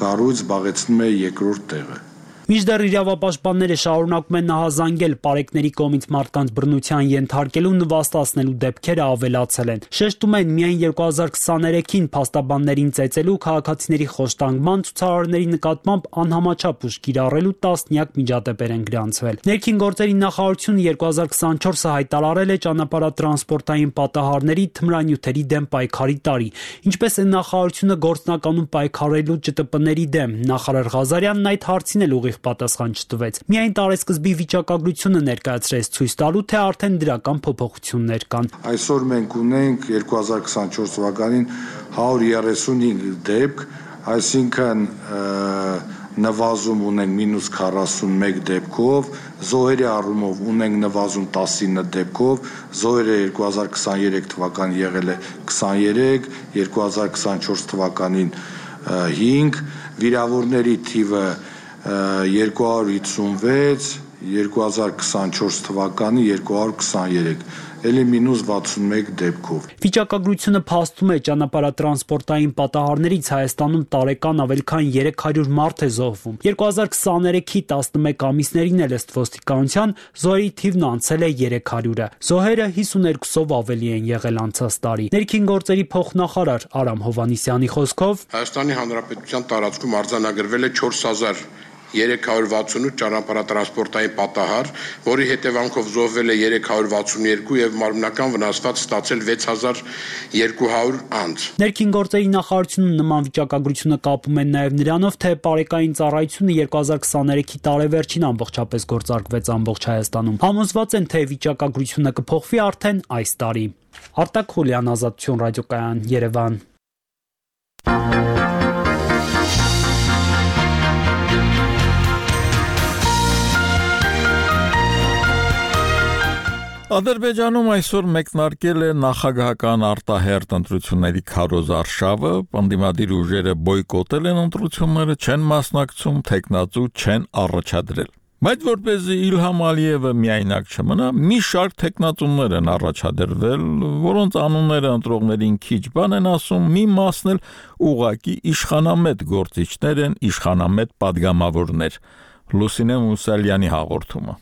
կառույց զբաղեցնում է երկրորդ տեղը։ Մինչդեռ իրավապաշտպանները շարունակում են նահազանգել պարեկների կողմից մարդկանց բռնության ենթարկելու նվաստացնելու դեպքերը ավելացել են։ Շեշտում են միայն 2023-ին փաստաբաններին ծեծելու քաղաքացիների խոշտանգման ցուցարարների նկատմամբ անհամաչափ ուժ կիրառելու տասնյակ միջադեպեր են գրանցվել։ Ներքին գործերի նախարարությունը 2024-ը հայտարարել է ճանապարհատրանսպորտային պատահարների թմրանյութերի դեմ պայքարի տարի, ինչպես է նախարարությունը գործնականում պայքարելու ՃՏՊ-ների դեմ։ Նախարար Ղազարյանն այդ հարցին էլ պատասխան չտվեց։ Միայն տարեսկզբի վիճակագրությունը ներկայացրեց ցույց տալու, թե արդեն դրական փոփոխություններ կան։ Այսօր մենք ունենք 2024 թվականին 135 դեպք, այսինքն նվազում ունենք -41 դեպքով, զոհերի առումով ունենք նվազում 19 դեպքով, զոհերը 2023 թվականին եղել է 23, 2024 թվականին 5, վիրավորների թիվը 256, 2024 թվականի 223, ելի մինուս 61 դեպքով։ Վիճակագրությունը փաստում է ճանապարհատրանսպորտային պատահարներից Հայաստանում տարեկան ավելի քան 300 մարդ է զոհվում։ 2023-ի 11 ամիսներին էլ ըստ ոստիկանության զոհերի թիվն անցել է 300-ը։ Զոհերը 52-ով ավելի են եղել անցած տարի։ Ներքին գործերի փոխնախարար Արամ Հովհաննիսյանի խոսքով Հայաստանի Հանրապետության տարածքում արձանագրվել է 4368 ճանապարհատրանսպորտային պատահար, որի հետևանքով զոհվել է 362 եւ մարմնական վնասված ստացել 6200 անձ։ Ներքին գործերի նախարարությունը նման վիճակագրությունը կապում է նաեւ նրանով, թե պարեկային ծառայությունը 2023-ի տարեվերջին ամբողջապես գործարկվեց ամբողջ Հայաստանում։ Համոզված են, թե վիճակագրությունը կփոխվի արդեն այս տարի։ Արտակ Խուլյան, Ազատություն ռադիոկայան, Երևան։ Ադրբեջանում այսօր մեկնարկել է նախագահական արտահերթ ընտրությունների քարոզ արշավը, պնդիմադիր ուժերը բոյկոտել են ընտրությունները, չեն մասնակցում, թեկնածու չեն առաջադրել։ Բայց որպեսզի Իլհամ Ալիևը միայնակ չմնա, մի շարք թեկնածուներ են առաջադրվել, որոնց անունները ընտրողներին քիչ բան են ասում, մի մասն էլ ուղակի իշխանամետ գործիչներ են, իշխանամետ падգամավորներ։ Լուսինե Մուսալյանի հաղորդումը։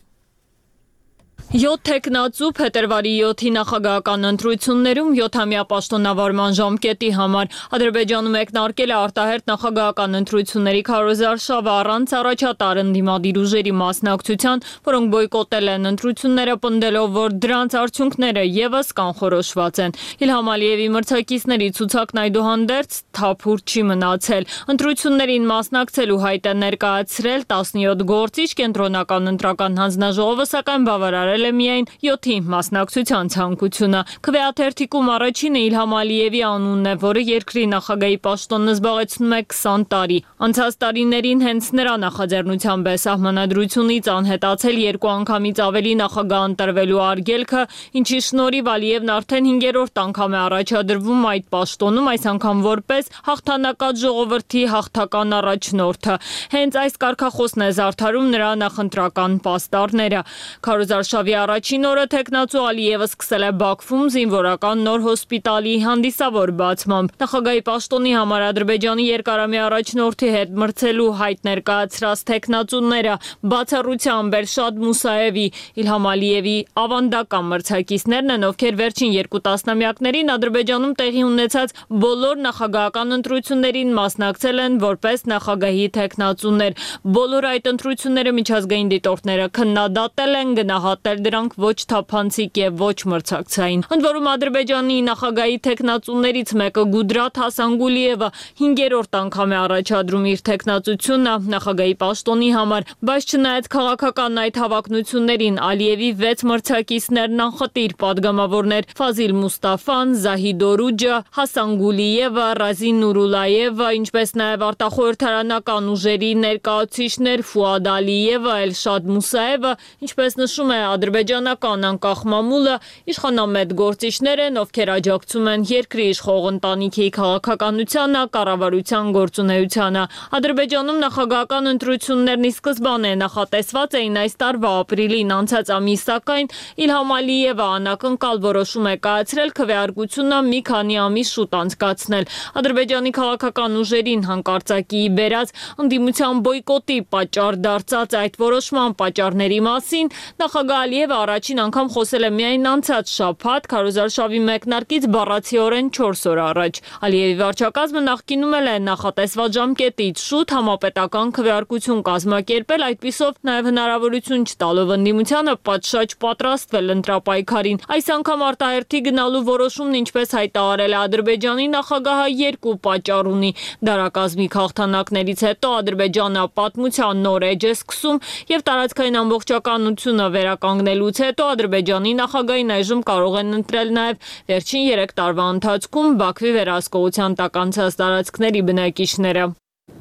7 թեկնածու փետրվարի 7-ի նախագահական ընտրություններում 7-ամյա պաշտոնավարման ժամկետի համար Ադրբեջանում մեկնարկել է արտահերթ նախագահական ընտրությունների քարոզարշավը առանց առաջատար ընդդիմադիր ուժերի մասնակցության, որոնք բոյկոտել են ընտրությունները, պնդելով, որ դրանց արդյունքները եւս կանխորոշված են։ Իլհամ Ալիևի մրցակիցների ցուցակն այդուհանդերձ թափուր չի մնացել։ Ընտրություններին մասնակցելու հայտ է ներկայացրել 17 գործիչ, կենտրոնական ընտրական հանձնաժողովը սակայն բավարարել է միայն 7-ի մասնակցության ցանկությունը։ Քվեաթերթիկում առաջինը Իլհամ Ալիևի անունն է, որը երկրի նախագահի պաշտոնն զբաղեցնում է 20 տարի։ Անցած տարիներին հենց նրա նախաձեռնությամբ է սահմանադրությունից անհետացել 2 անգամից ավելի նախագահ ընտրվելու արգելքը, ինչի շնորհիվ Ալիևն արդեն 5-րդ անգամ է առաջադրվում այդ պաշտոնում, այս անգամ որպես հաղթանակած ժողովրդի հաղթական առաջնորդը։ Հենց այս կարգախոսն է զարդարում նրա նախընտրական պաստառները։ Քարոզարշավի առաջին օրը թեկնածու Ալիևը սկսել է Բաքվում զինվորական նոր հոսպիտալի հանդիսավոր բացմամբ։ Նախագահի պաշտոնի համար Ադրբեջանի երկարամյա առաջնորդի հետ մրցելու հայտ ներկայացրած թեկնածուները բացառությամբ Էլշադ Մուսաևի, Իլհամ Ալիևի ավանդական մրցակիցներն են, ովքեր վերջին 2 տասնամյակներին Ադրբեջանում տեղի ունեցած բոլոր նախագահական ընտրություններին մասնակցել են որպես նախագահի թեկնածուներ։ Բոլոր այդ ընտրությունները միջազգային դիտորդները քննադատել են, գնահատել դրանք ոչ թափանցիկ եւ ոչ մրցակցային։ Ընդ որում Ադրբեջանի նախագահի թեկնածուներից մեկը Գուդրաթ Հասանգուլիևը 5-րդ անգամ է առաջադրում իր թեկնածությունը նախագահի պաշտոնի համար, բայց չնայած քաղաքական այդ հավակնություններին Ալիևի 6 մրցակիցներն անխտիր падգամավորներ Ֆազիլ Մուստաֆան, Զահիդ Օրուջը, Հասանգուլիևը, Ռազին Նուրուլաևը, ինչպես նաեւ արտախորհրդարանական ուժերի ներկայացուցիչներ Ֆուադ Ալիևը, Էլշադ Մուսաևը, ինչպես նշում է ադրբեջանական անկախ մամուլը, իշխանամետ գործիչներ են, ովքեր աջակցում են երկրի իշխող ընտանիքի քաղաքականությանը, կառավարության գործունեությանը։ Ադրբեջանում նախագահական ընտրություններն ի սկզբանե նախատեսված էին այս տարվա ապրիլին, անցած ամիս սակայն Իլհամ Ալիևը անակնկալ որոշում է կայացրել քվեարկությունը մի քանի ամիս շուտ անցկացնել։ Ադրբեջանի քաղաքական ուժերին հանկարծակիի բերած ընդդիմության բոյկոտի պատճառ դարձած այդ որոշման պատճառների մասին նախագահ Ալիևը առաջին անգամ խոսել է միայն անցած շաբաթ քարոզարշավի մեկնարկից բառացիորեն 4 օր առաջ։ Ալիևի վարչակազմը նախկինում է նախատեսված ժամկետից շուտ համապետական քվեարկություն կազմակերպել, այդպիսով նաև հնարավորություն չտալով ընդդիմությանը պատշաճ պատրաստվել ընտրապայքարին։ Այս անգամ արտահերթի գնալու որոշումն, ինչպես հայտարարել է Ադրբեջանի նախագահը, 2 պատճառ ունի։ Դարակազմի հաղթանակներից հետո Ադրբեջանը պատմության նոր էջ է սկսում եւ տարածքային ամբողջականությունը վերականգնելուց հետո Ադրբեջանի նախագահին այժմ կարող են ընտրել նաև վերջին 3 տարվա ընթացքում Բաքվի վերահսկողության տակ անցած տարածքների բնակիչները։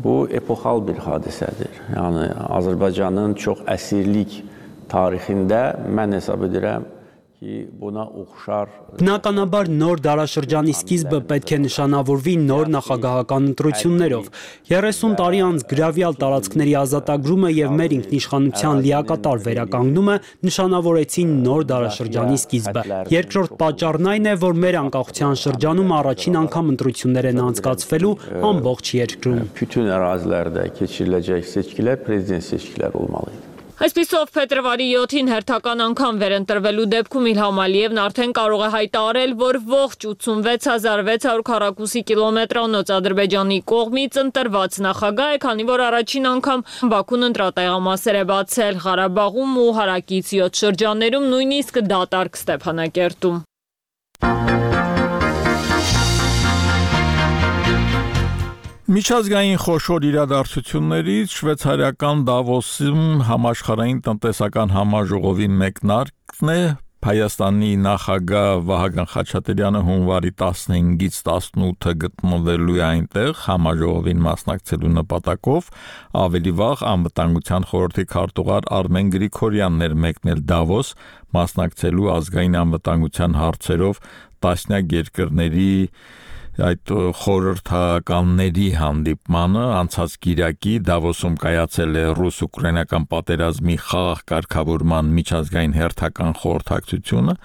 Bu epoxal bir hadisədir. Yəni Azərbaycanın çox əsirlik tarixində mən hesab edirəm Բնականաբար նոր դարաշրջանի սկիզբը պետք է նշանավորվի նոր նախագահական ընտրություններով։ 30 տարի անց գրավյալ տարածքների ազատագրումը եւ մեր ինքնիշխանության լիակատար վերականգնումը նշանավորեցին նոր դարաշրջանի սկիզբը։ Երկրորդ պատճառն այն է, որ մեր անկախության շրջանում առաջին անգամ ընտրություններ են անցկացվելու ամբողջ երկրում։ Այսպիսով փետրվարի 7-ին հերթական անգամ վերընտրվելու դեպքում Իլհամ Ալիևն արդեն կարող է հայտարարել, որ ողջ 86600 քառակուսի կիլոմետրանոց Ադրբեջանի կողմից ընտրված նախագահ է, քանի որ առաջին անգամ Բաքուն ընտրատեղամասեր է բացել Ղարաբաղում ու հարակից 7 շրջաններում, նույնիսկ դատարկ Ստեփանակերտում։ Միջազգային խոշոր իրադարձություններից շվեյցարիական Դավոսում համաշխարհային տնտեսական համաժողովի մեկնարկն է Հայաստանի նախագահ Վահագն Խաչատրյանը հունվարի 15-ից 18-ը գտնվելու է այնտեղ համաժողովին մասնակցելու նպատակով, ավելի վաղ անվտանգության խորհրդի քարտուղար Արմեն Գրիգորյանն էր մեկնել Դավոս մասնակցելու ազգային անվտանգության հարցերով տասնյակ երկրների այդ խորհրդականների հանդիպմանը անցած կիրակի Դավոսում կայացել է ռուս-ուկրաինական պատերազմի խաղաղ կարգավորման միջազգային հերթական խորհրդակցությունը,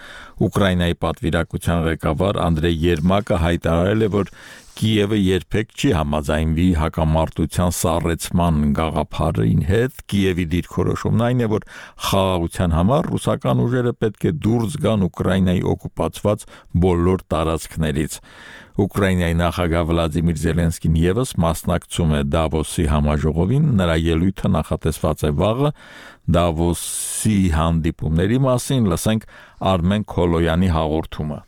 Ուկրաինայի պատվիրակության ղեկավար Անդրեյ Երմակը հայտարարել է, որ Կիևը երբեք չի համաձայնվի հակամարտության սառեցման գաղափարին հետ, Կիևի դիրքորոշումն այն է, որ խաղաղության համար ռուսական ուժերը պետք է դուրս գան Ուկրաինայի օկուպացված բոլոր տարածքներից։ Ուկրաինայի նախագահ Վլադիմիր Զելենսկին եւս մասնակցում է Դավոսի համաժողովին, նրա ելույթը նախատեսված է վաղը Դավոսի հանդիպումների մասին, լսենք Արմեն Քոլոյանի հաղորդումը։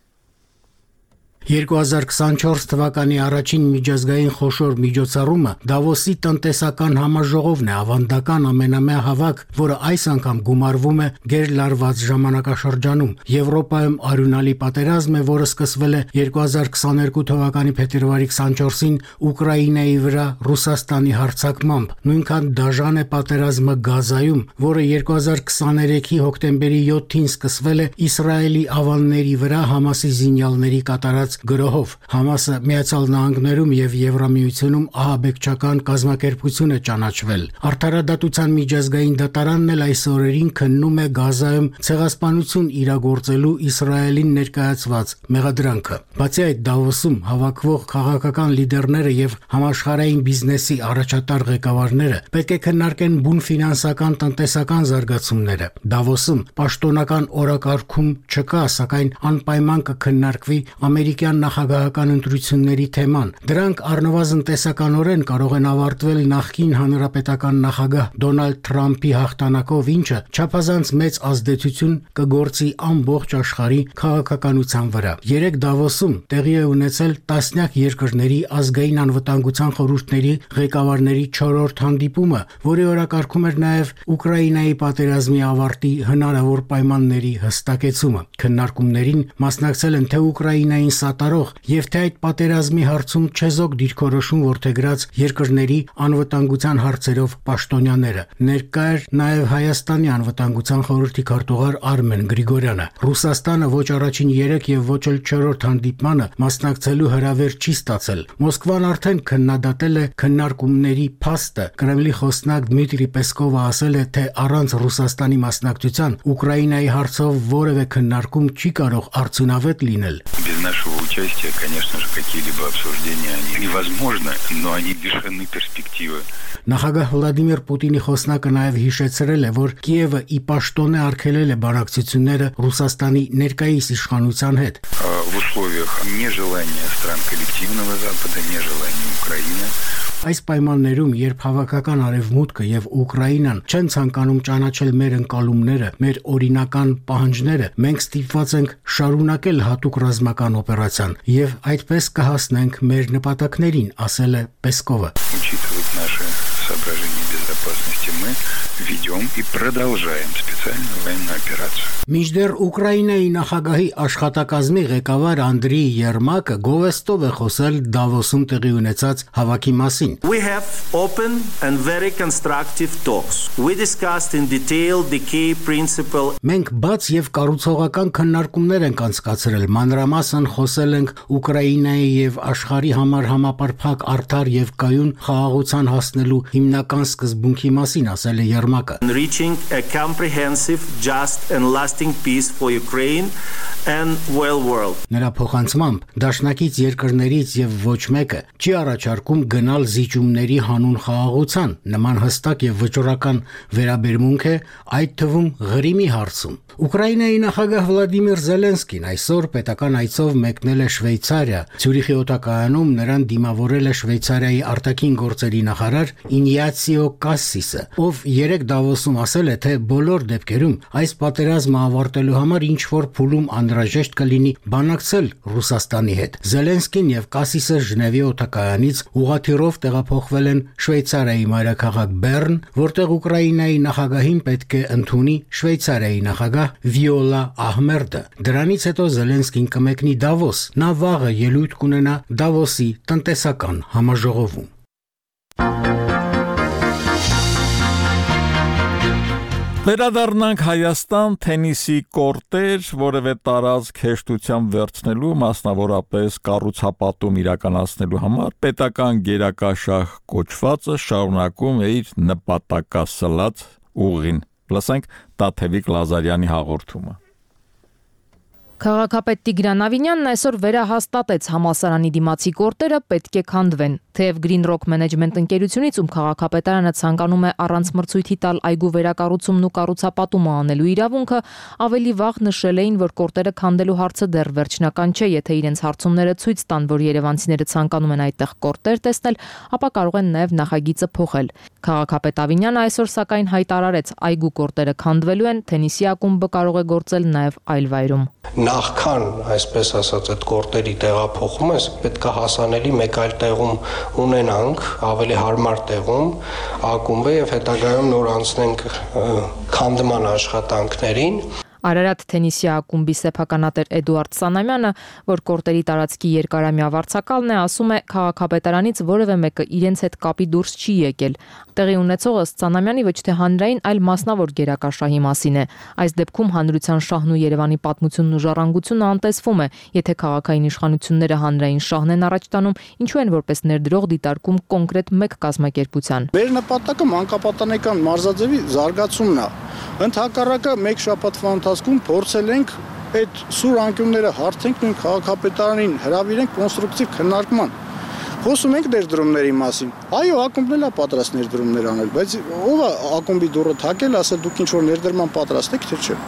2024 թվականի առաջին միջազգային խոշոր միջոցառումը Դավոսի տնտեսական համաժողովն է, ավանդական ամենամյա հավաք, որը այս անգամ գումարվում է գերլարված ժամանակաշրջանում։ Եվրոպայում արյունալի պատերազմ է, որը սկսվել է 2022 թվականի փետրվարի 24-ին Ուկրաինայի վրա Ռուսաստանի հարձակմամբ։ Նույնքան դաժան է պատերազմը Գազայում, որը 2023-ի հոկտեմբերի 7-ին սկսվել է Իսրայելի ավանների վրա Համասի զինյալների կատարած գրոհով։ Համասը Միացյալ Նահանգներում եւ Եվրամիությունում ահաբեկչական կազմակերպություն է ճանաչվել։ Արդարադատության միջազգային դատարանն էլ այս օրերին քննում է Գազայում ցեղասպանություն իրագործելու Իսրայելին ներկայացված մեղադրանքը։ Բացի այդ, Դավոսում հավաքվող քաղաքական լիդերները եւ համաշխարհային բիզնեսի առաջատար ղեկավարները պետք է քննարկեն բուն ֆինանսական տնտեսական զարգացումները։ Դավոսում պաշտոնական օրակարգում չկա, սակայն անպայման կքննարկվի ամերիկյան նախագահական ընտրությունների թեման։ Դրանք առնվազն տեսականորեն կարող են ավարտվել նախկին հանրապետական նախագահ Դոնալդ Թրամփի հաղթանակով, ինչը չափազանց մեծ ազդեցություն կգործի ամբողջ աշխարհի քաղաքականության վրա։ Երեք Դավոսում տեղի է ունեցել տասնյակ երկրների ազգային անվտանգության խորհուրդների ղեկավարների 4-րդ հանդիպումը, որի օրակարգում էր նաև Ուկրաինայի պատերազմի ավարտի հնարավոր պայմանների հստակեցումը։ Քննարկումներին մասնակցել են թե Ուկրաինային սատարող եւ թե այդ պատերազմի հարցում չեզոք դիրքորոշում որդեգրած երկրների անվտանգության հարցերով պաշտոնյաները։ Ներկա էր նաև Հայաստանի անվտանգության խորհրդի քարտուղար Արմեն Գրիգորյանը։ Ռուսաստանը ոչ առաջին 3 եւ ոչ էլ 4-րդ հանդիպմանը մասնակցելու հրավեր չի ստացել։ Մոսկվան արդեն քննադատել է քննարկումների փաստը։ Կրեմլի խոսնակ Դմիտրի Պեսկովը ասել է, թե առանց Ռուսաստանի մասնակցության Ուկրաինայի հարցով որևէ քննարկում չի կարող արդյունավետ լինել։ Без нашего участия, конечно же, какие-либо обсуждения они невозможны, но они лишены перспективы. Նախագահ Վլադիմիր Պուտինի խոսնակը նաև հիշեցրել է, որ Կիևը ի պաշտոն է արգելել է բանակցությունները Ռուսաստանի ներկայիս իշխանության հետ։ В условиях нежелания стран коллективного Запада, нежелания Украины. Այս պայմաններում, երբ հավաքական արևմուտքը եւ Ուկրաինան չեն ցանկանում ճանաչել մեր ընկալումները, մեր օրինական պահանջները, մենք ստիպված ենք շարունակել հատուկ ռազմական օպերացիան եւ այդպես կհասնենք մեր նպատակներին, ասել է Պեսկովը։ Учитывать наши соображения безопасности, мы ведем и продолжаем специальную военную операцию. Մինչդեռ Ուկրաինայի նախագահի աշխատակազմի ղեկավար Անդրեյ Երմակը գովեստով է խոսել Դավոսում տեղի ունեցած հավաքի մասին։ We have open and very constructive talks. We discussed in detail the key principle. Մենք բաց եւ կառուցողական քննարկումներ ենք անցկացրել, մանրամասն խոսել ենք Ուկրաինայի եւ աշխարհի համար համապարփակ արդար եւ կայուն խաղաղության հասնելու հիմնական սկզբունքի մասին, ասել է Երմակը։ Reaching a comprehensive, just and lasting peace for Ukraine and well world. Նրա փոխանցմամբ դաշնակից երկրներից եւ ոչ մեկը չի առաջարկում գնալ զիջումների հանուն խաղաղության, նման հստակ եւ վճռական վերաբերմունք է այդ թվում Ղրիմի հարցում։ Ուկրաինայի նախագահ Վլադիմիր Զելենսկին այսօր պետական այցով մեկնել է Շվեյցարիա։ Ցյուրիխի օտակայանում նրան դիմավորել է Շվեյցարիայի արտաքին գործերի նախարար Ինիացիո Կասսիսը, ով երեք Դավոսում ասել է, թե բոլոր դեպքերում այս պատերազմը ավարտելու համար ինչ որ փուլում անհրաժեշտ կլինի բանակցել Ռուսաստանի հետ։ Զելենսկին եւ Կասսիսը Ժնևի օտակայանից ուղղաթիռով տեղափոխվել են Շվեյցարիայի մայրաքաղաք Բեռն, որտեղ Ուկրաինայի նախագահին պետք է ընդունի Շվեյցարիայի նախագահ Վիոլա Ահմերդը։ Դրանից հետո Զելենսկին կմեկնի Դավոս։ Նա վաղը ելույթ կունենա Դավոսի տնտեսական համաժողովում։ Վերադառնանք Հայաստան, թենիսի կորտեր, որևէ տարածք հեշտությամբ վերցնելու, մասնավորապես կառուցապատում իրականացնելու համար պետական գերակաշահ կոչվածը շարունակում է իր նպատակասլաց ուղին։ Լսենք Տաթևիկ Լազարյանի հաղորդումը։ Քաղաքապետ Տիգրան Ավինյանն այսօր վերահաստատեց համալսարանի դիմացի կորտերը պետք է քանդվեն։ Թեև Green Rock Management ընկերությունից, ում քաղաքապետարանը ցանկանում է առանց մրցույթի տալ այգու վերակառուցումն ու կառուցապատումը անելու իրավունքը, ավելի վաղ նշել էին, որ կորտերը քանդելու հարցը դեռ վերջնական չէ, եթե իրենց հարցումները ցույց տան, որ երևանցիները ցանկանում են այդտեղ կորտեր տեսնել, ապա կարող են նաև նախագիծը փոխել։ Քաղաքապետ Ավինյանը այսօր սակայն հայտարարեց, այգու կորտերը քանդվելու են, թենիսի ակումբը կարող է գործել նաև այլ վայրում։ Նախքան, այսպես ասած, այդ կորտերի տեղափոխումը, պետք է հասանելի մեկ այլ տեղում ունենանք, ավելի հարմար տեղում ակումբը եւ հետագայում նոր անցնենք քանդման աշխատանքներին։ Արարատ թենիսի ակումբի սեփականատեր Էդուարդ Սանամյանը, որ կորտերի տարածքի երկարամյա վարձակալն է, ասում է, քաղաքապետարանից որևէ մեկը իրենց հետ կապի դուրս չի եկել։ Տեղի ունեցողը Սանամյանի ոչ թե հանրային, այլ մասնավոր գերակաշահի մասին է։ Այս դեպքում հանրության շահն ու Երևանի պատմությունն ու ժառանգությունը անտեսվում է, եթե քաղաքային իշխանությունները հանրային շահն են առաջ տանում, ինչու են որպես ներդրող դիտարկում կոնկրետ մեկ կազմակերպության։ Մեր նպատակը մանկապատանեկան մարզաձևի զարգացումն է։ Ընդհակառակը մեկ շաբաթվա ընթացքում փորձել ենք այդ սուր անկյունները հարթենք նույն քաղաքապետարանին հրավիրենք կոնստրուկտիվ քննարկման։ Խոսում ենք ներդրումների մասին։ Այո, ակումբն էլ է պատրաստ ներդրումներ անել, բայց ով է ակումբի դուռը թակել, ասել դուք ինչ որ ներդրման պատրաստ եք, թե չէ։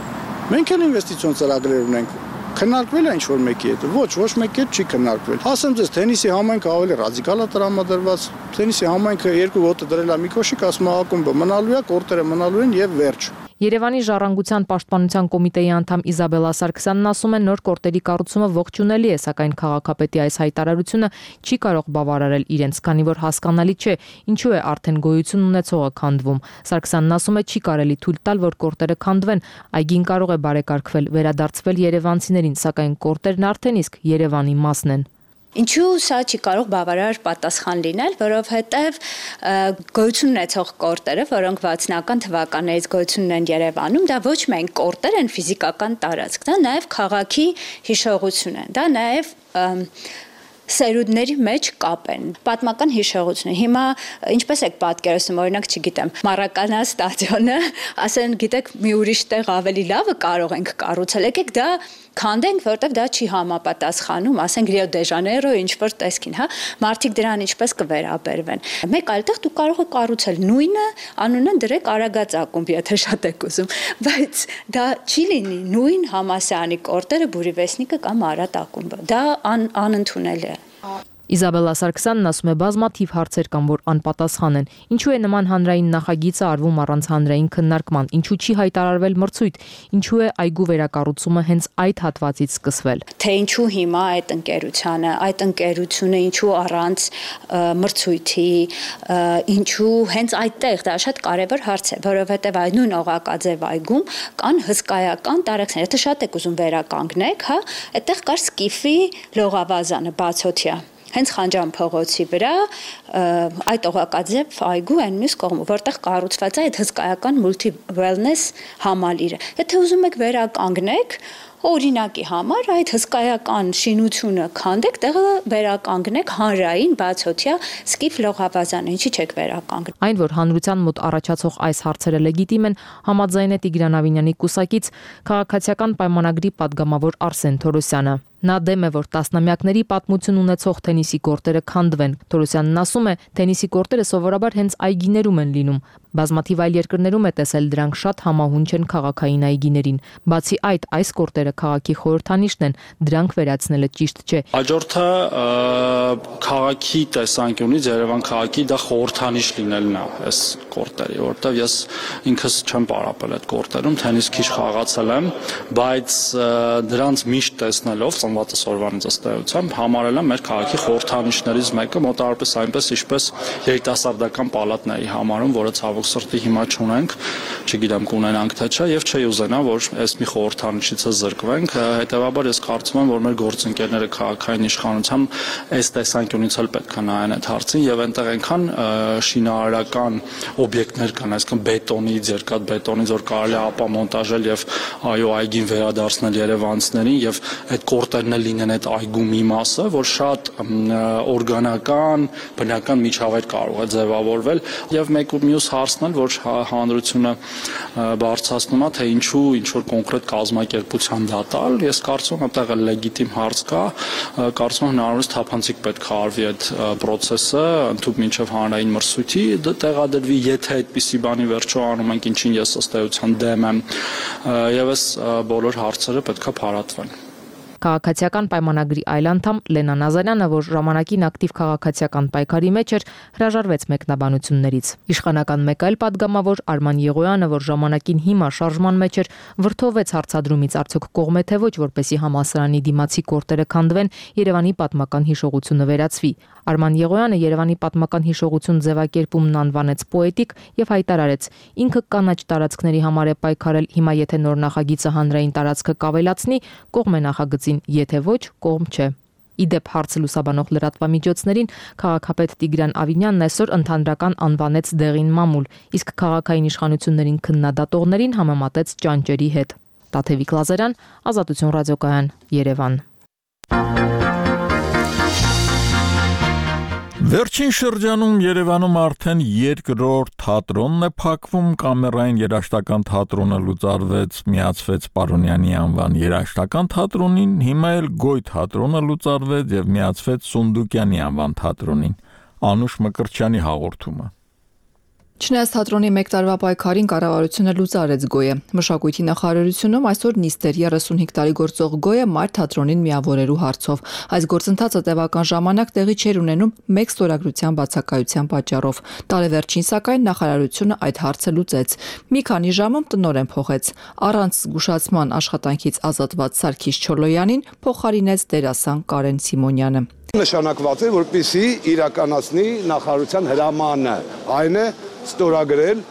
Մենք էլ ինվեստիցիոն ծրագրեր ունենք։ Քննարկվել է ինչ-որ մեկի հետ։ Ոչ մեկի հետ չի քննարկվել։ Ասեմ ձեզ, թենիսի համայնքը ավելի ռադիկալ է տրամադրված։ Թենիսի համայնքը երկու ոտը դրել է մի կոշիկ, ասում է ակումբը մնալու է, կորտերը մնալու են եւ վերջ։ Երևանի ժառանգության պաշտպանության կոմիտեի անդամ Իզաբելա Սարգսյանն ասում է, նոր կորտերի կառուցումը ողջունելի է, սակայն քաղաքապետի այս հայտարարությունը չի կարող բավարարել իրենց, քանի որ հասկանալի չէ, ինչու է արդեն գոյություն ունեցողը քանդվում։ Սարգսյանն ասում է, չի կարելի թույլ տալ, որ կորտերը քանդվեն, այգին կարող է բարեկարգվել, վերադարձվել երևանցիներին, սակայն կորտերն արդեն իսկ Երևանի մասն են։ Ինչու սա չի կարող բավարար պատասխան լինել, որովհետև գոյություն ունեցող կորտերը, որոնք 60-ական թվականներից գոյություն ունեն Երևանում, դա ոչ միայն կորտեր են ֆիզիկական տարածք, դա նաև քաղաքի հիշողություն է, դա նաև սերունդների մեջ կապ են, պատմական հիշողություն։ Հիմա ինչպես եք պատկերացնում, օրինակ, չգիտեմ, Մարականա ստադիոնը, ասեն, գիտեք, մի ուրիշ տեղ ավելի լավը կարող ենք կառուցել, եկեք դա քանդենք, որտեղ դա չի համապատասխանում, ասենք Ռիո դե Ժանեյրո ինչ-որ տեսքին, հա, մարդիկ դրան ինչպես կվերաբերվեն։ Մեկ այլ տեղ դու կարող ես կառուցել նույնը, անունը դրեք Արագած ակումբ, եթե շատ եք ուզում, բայց դա չի լինի նույն համասարանի կորտերը Բուրիվեսնիկը կամ Արարատ ակումբը։ Դա անընդունել է։ Իզաբելլա Սարգսյանն ասում է բազմաթիվ հարցեր կան, որ անպատասխան են։ Ինչու է նման հանրային նախագիծը արվում առանց հանրային քննարկման, ինչու չի հայտարարվել մրցույթ, ինչու է այգու վերակառուցումը հենց այդ հատվածից սկսվել։ Թե ինչու հիմա այդ ընկերությունը ինչու առանց մրցույթի, ինչու հենց այդտեղ, դա շատ կարևոր հարց է, որովհետև այդ նույն Օղակաձև այգում կան հսկայական տարածքներ, եթե շատ եք ուզում վերականգնեք, հա, այդտեղ կար Սկիֆի լողավազանը բացօթյա։ Հենց Խանջան փողոցի վրա այդ Օղակաձև այգու այն մյուս կողմը, որտեղ կառուցված է այդ հսկայական multi wellness համալիրը։ Եթե ուզում եք վերականգնեք, օրինակի համար այդ հսկայական շինությունը քանդեք, տեղը վերականգնեք հանրային բացօթյա Սկիֆ լողավազանը, ինչի՞ չեք վերականգնել։ Այն, որ հանրության մոտ առաջացող այս հարցերը լեգիտիմ են, համաձայն է Տիգրան Ավինյանի կուսակից քաղաքացիական պայմանագրի падգամավոր Արսեն Թորոսյանը։ Նա դեմ է, որ տասնամյակների պատմություն ունեցող թենիսի կորտերը քանդվեն։ Թորոսյանն ասում է, թենիսի կորտերը սովորաբար հենց այգիներում են լինում։ Բազմաթիվ այլ երկրներում է տեսել դրանք շատ համահունչ են քաղաքային այգիներին։ Բացի այդ, այս կորտերը քաղաքի խորհրդանիշն են, դրանք վերացնելը ճիշտ չէ։ Հաջորդը քաղաքի տեսանկյունից Երևան քաղաքի դա խորհրդանիշ լինելն է այս կորտերի, որովհետև ես ինքս չեմ պարապել այդ կորտերում, թենիս քիչ խաղացել եմ, բայց դրանց միշտ տեսնելով ծնվածս օրվանից ըստ էության համարել եմ մեր քաղաքի խորհրդանիշներից մեկը, մոտավորապես այնպես ինչպես երիտասարդական պալատն էի համարում, որը ցավոք սրտի հիմա չունենք, չգիտեմ կունենանք թե չէ, եւ չի ուզենա, որ այս մի խորհրդանիշից զրկվենք, հետեւաբար ես կարծում եմ, որ մեր գործընկերները քաղաքային իշխանությամբ այս տեսանկյունից էլ պետք է նայեն այդ հարցին եւ այնտեղ այնքան շինարարական օբյեկտներ կան, այսինքն բետոնից, երկաթ բետոնից, որ կարելի է ապամոնտաժել եւ այո այգին վերադարձնել երևանցիներին եւ այդ կորտերն էլ լինեն այդ այգու մի մասը, որ շատ օրգանական, բնական միջավայր կարող է ձևավորվել եւ մեկ ու մյուս հարցն էլ, որ հանրությունը բարձրացնում է, թե ինչու ինչ որ կոնկրետ կազմակերպության դատալ, ես կարծում եմ այդտեղ լեգիտիմ հարց կա, կարծում եմ հնարավորինս թափանցիկ պետք է արվի այդ process-ը, ընդհանուր մինչև հանրային մրցույթի տեղադրվի, եթե այդպիսի բանի վերջո անում ենք, ինչին ես ըստ էության դեմ եմ, եւ այս բոլոր հարցերը պետք է փարատվեն։ Քաղաքացիական պայմանագրի այլ անդամ Լենա Նազարյանը, որ ժամանակին ակտիվ քաղաքացիական պայքարի մեջ էր, հրաժարվեց մեկնաբանություններից։ Իշխանական մեկ այլ падգամավոր Արման Եղոյանը, որ ժամանակին հիմա շարժման մեջ էր, վրթովեց հարցադրումից արդյոք կողմ է թե ոչ, որպեսզի համալսարանի դիմացի կորտերը քանդվեն, Երևանի պատմական հիշողությունը վերացվի։ Արման Եղոյանը Երևանի պատմական հիշողություն ձևակերպումն անվանեց պոետիկ եւ հայտարարեց. ինքը կանաչ տարածքների համար է պայքարել, հիմա եթե նոր նախագիծը հանրային տարածքը կավելացնի, կողմ է նախագծին, եթե ոչ, կողմ չէ։ Իդեպ հարցը լուսաբանող լրատվամիջոցներին քաղաքապետ Տիգրան Ավինյանն այսօր ընդհանրական անվանեց դեղին մամուլ, իսկ քաղաքային իշխանություններին քննադատողներին համեմատեց ճանճերի հետ։ Տաթևիկ Լազարյան, Ազատություն ռադիոկայան, Երևան։ Վերջին շրջանում Երևանում արդեն երկրորդ թատրոնն է փակվում, կամերային երաժշտական թատրոնը լուծարվեց, միացվեց Պարոնյանի անվան երաժշտական թատրոնին, հիմա էլ Գոյ թատրոնը լուծարվեց եւ միացվեց Սունդուկյանի անվան թատրոնին։ Անուշ Մկրտչյանի հաղորդումը։ Չնայած թատրոնի մեկ տարվա պայքարին կառավարությունը լուծարեց Գոյը։ Մշակույթի նախարարությունում այսօր նիստ էր 35 տարի գործող Գոյը մայր թատրոնին միավորելու հարցով։ Այս գործընթացը տևական ժամանակ տեղի չէր ունենում մեկ ստորագրության բացակայության պատճառով։ Տարեվերջին սակայն նախարարությունը այդ հարցը լուծեց։ Մի քանի ժամում տնօրեն փոխեց։ Առանց զգուշացման աշխատանքից ազատված Սարգիս Չոլոյանին փոխարինեց դերասան Կարեն Սիմոնյանը։ Նշանակված է, որպեսզի իրականացնի նախարարության հրամանը, այն է ստորագրել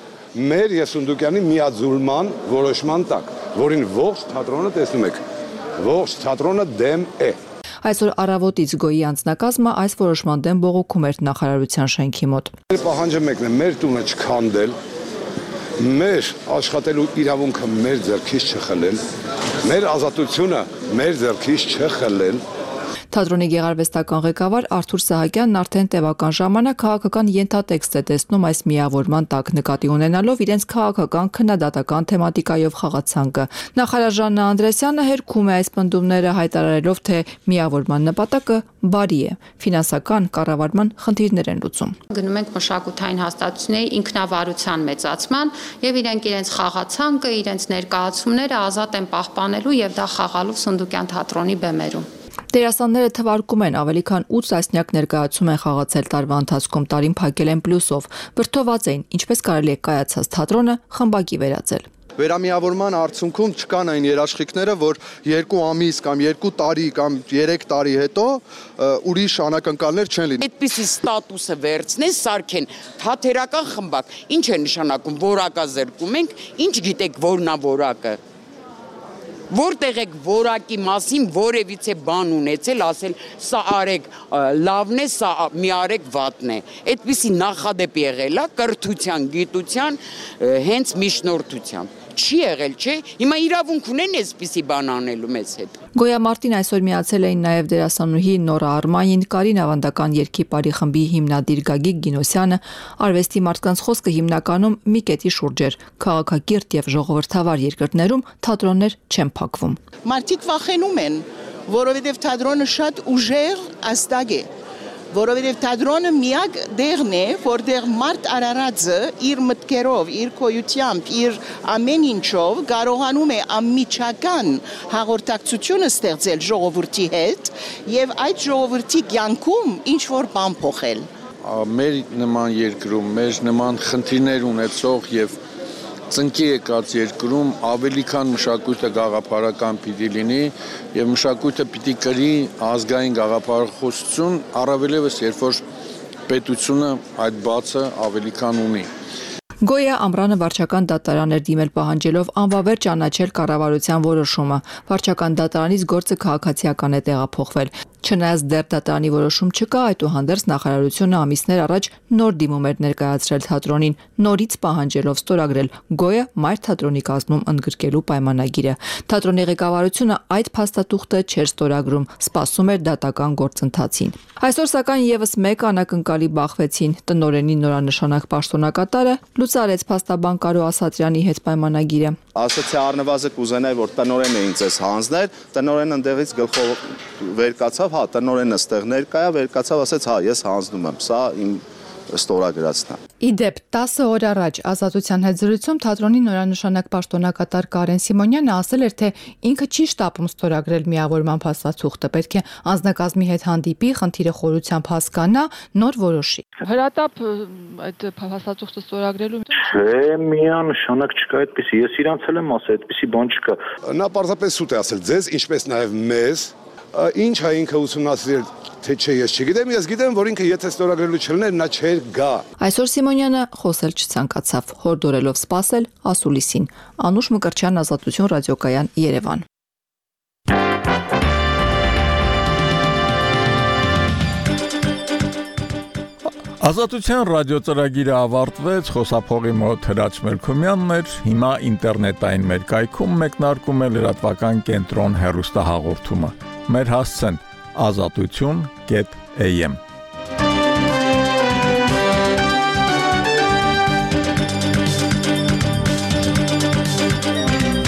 մեր եւ Սունդուկյանի միաձուլման որոշման տակ, որին ողջ թատրոնը տեսնում եք, ողջ թատրոնը դեմ է։ Այսօր առավոտից Գոյի անձնակազմը այս որոշման դեմ բողոքում էր նախարարության շենքի մոտ։ Պահանջը մեկն է, մեր տունը չքանդել, մեր աշխատելու իրավունքը մեր ձեռքից չխլել, մեր ազատությունը մեր ձեռքից չխլել։ Թատրոնի գեղարվեստական ղեկավար Արթուր Սահակյանն արդեն տևական ժամանակ քաղաքական ենթատեքստ է տեսնում այս միավորման տակ, նկատի ունենալով իրենց քաղաքական քննադատական թեմատիկայով խաղացանկը։ Նախարար Ժաննա Անդրեասյանը հերքում է այս պնդումները, հայտարարելով, թե միավորման նպատակը բարի է, ֆինանսական կառավարման խնդիրներ են լուծում։ Գնում ենք մշակութային հաստատությունների ինքնավարության մեծացման եւ իրենց խաղացանկը, իրենց ներկայացումները ազատ են պահպանելու եւ դա խաղալու Սունդուկյան թատրոնի բեմերում։ Դերասանները թվարկում են ավելի քան 8 տասնյակ ներկայացում են խաղացել տարվա ընթացքում, տարին փակել են պլյուսով, վրդոված էին, ինչպես կարելի է կայացած թատրոնը խմբակի վերածել։ Վերամիավորման արդյունքում չկան այն երաշխիքները, որ 2 ամիս կամ 2 տարի կամ 3 տարի հետո ուրիշ անակնկալներ չեն լինի։ Այդպիսի ստատուսը վերցնեն, սարքեն թատերական խմբակ։ Ինչ է նշանակում, որակազրկում ենք, ինչ գիտեք որնա որակը։ Որտեղ եք որակի մասին որևիցե բան ունեցել, ասել սա արեք լավն է, սա մի արեք վատն է։ Այդպիսի նախադեպ եղել է կրթության, գիտության, հենց միջնորդությամբ։ Չի եղել, չէ։ Հիմա իրավունք ունեն այսպիսի բան անելու մեզ հետ։ Գոյամարտին այսօր միացել էին նաև դերասանուհի Նորա Արմանին, Կարին ավանդական երգի բարի խմբի հիմնադիր Գագիկ Գինոսյանը, արվեստի մարդկանց խոսքը հիմնականում մի կետի շուրջ էր։ Քաղաքակիրթ եւ ժողովրդավար երկրներում թատրոններ չեն փակվում։ Մարդիկ վախենում են, որովհետեւ թատրոնը շատ ուժեղ աստղ է։ Որովհետև թատրոնը միակ դերն է, որտեղ մարդ Արարածը իր մտքերով, իր քոյությամբ, իր ամեն ինչով կարողանում է անմիջական հաղորդակցությունը ստեղծել ժողովրդի հետ եւ այդ ժողովրդի կյանքում ինչ որ բան փոխել։ Մեր նման երկրում, մեր նման խնդիրներ ունեցող եւ ծնկի եկած երկրում ավելի քան մշակույթը գաղափարական պիտի լինի եւ մշակույթը պիտի կրի ազգային գաղափարախոսություն, առավելևս երբ որ պետությունը այդ բացը ավելի քան ունի։ Գոյա Ամրանը վարչական դատարան էր դիմել պահանջելով անվավեր ճանաչել կառավարության որոշումը։ Վարչական դատարանից գործը քաղաքացիական է տեղափոխվել։ Չնայած դեռ դատարանի որոշում չկա, այդուհանդերձ նախարարությունը ամիսներ առաջ նոր դիմում էր ներկայացրել թատրոնին, նորից պահանջելով ստորագրել Գոյա մայր թատրոնի կազմում ընդգրկելու պայմանագիրը։ Թատրոնի ղեկավարությունը այդ փաստաթուղթը չէր ստորագրում, սպասում էր դատական գործընթացին։ Այսօր սակայն եւս մեկ անակնկալի բախվեցին։ Տնօրենի նորանշանակ պաշտոնակատարը լուծարեց փաստաբան Կարո Ասատրյանի հետ պայմանագիրը։ Ասացի առնվազն կուզենայի, որ տնօրենը ինձ էս հանձներ, տնօրենը ընդեղից գլխով վեր կացավ, հա, տնօրենը ստեղ ներկա է, վեր կացավ, ասեց, հա, ես հանձնում եմ, սա իմ ստորագրածն է։ Իդեպ 10 օր առաջ Ազատության հետ զրույցում թատրոնի նորանշանակ պաշտոնակատար Կարեն Սիմոնյանը ասել էր, թե ինքը չի շտապում ստորագրել միավորման փաստաթուղթը, պետք է անձնակազմի հետ հանդիպի, խնդիրը խորությամբ հասկանա, նոր որոշի։ Հրատապ այդ փաստաթուղթը ստորագրելու Չէ, միանշանակ չկա այդպեսի, ես իրանց էլ եմ ասել, այդպեսի բան չկա։ Նա պարզապես սուտ է ասել ձեզ, ինչպես նաև մեզ, ինչ է ինքը ուսումնասիրել, թե չէ, ես չգիտեմ, ես գիտեմ, որ ինքը եթե ստորագրելու չլներ, նա չէր գա։ Այսօր Սիմոնյանը խոսել չցանկացավ, հորդորելով սպասել ասուլիսին։ Անուշ Մկրտչյան, Ազատություն ռադիոկայան, Երևան։ Ազատության ռադիոծրագիրը ավարտվեց, խոսափողի մոտ Հրաչ Մելքումյանն էր, հիմա ինտերնետային մեր կայքում մեկնարկում է լրատվական կենտրոն հեռուստահաղորդումը։ Մեր հասցեն azatutun.am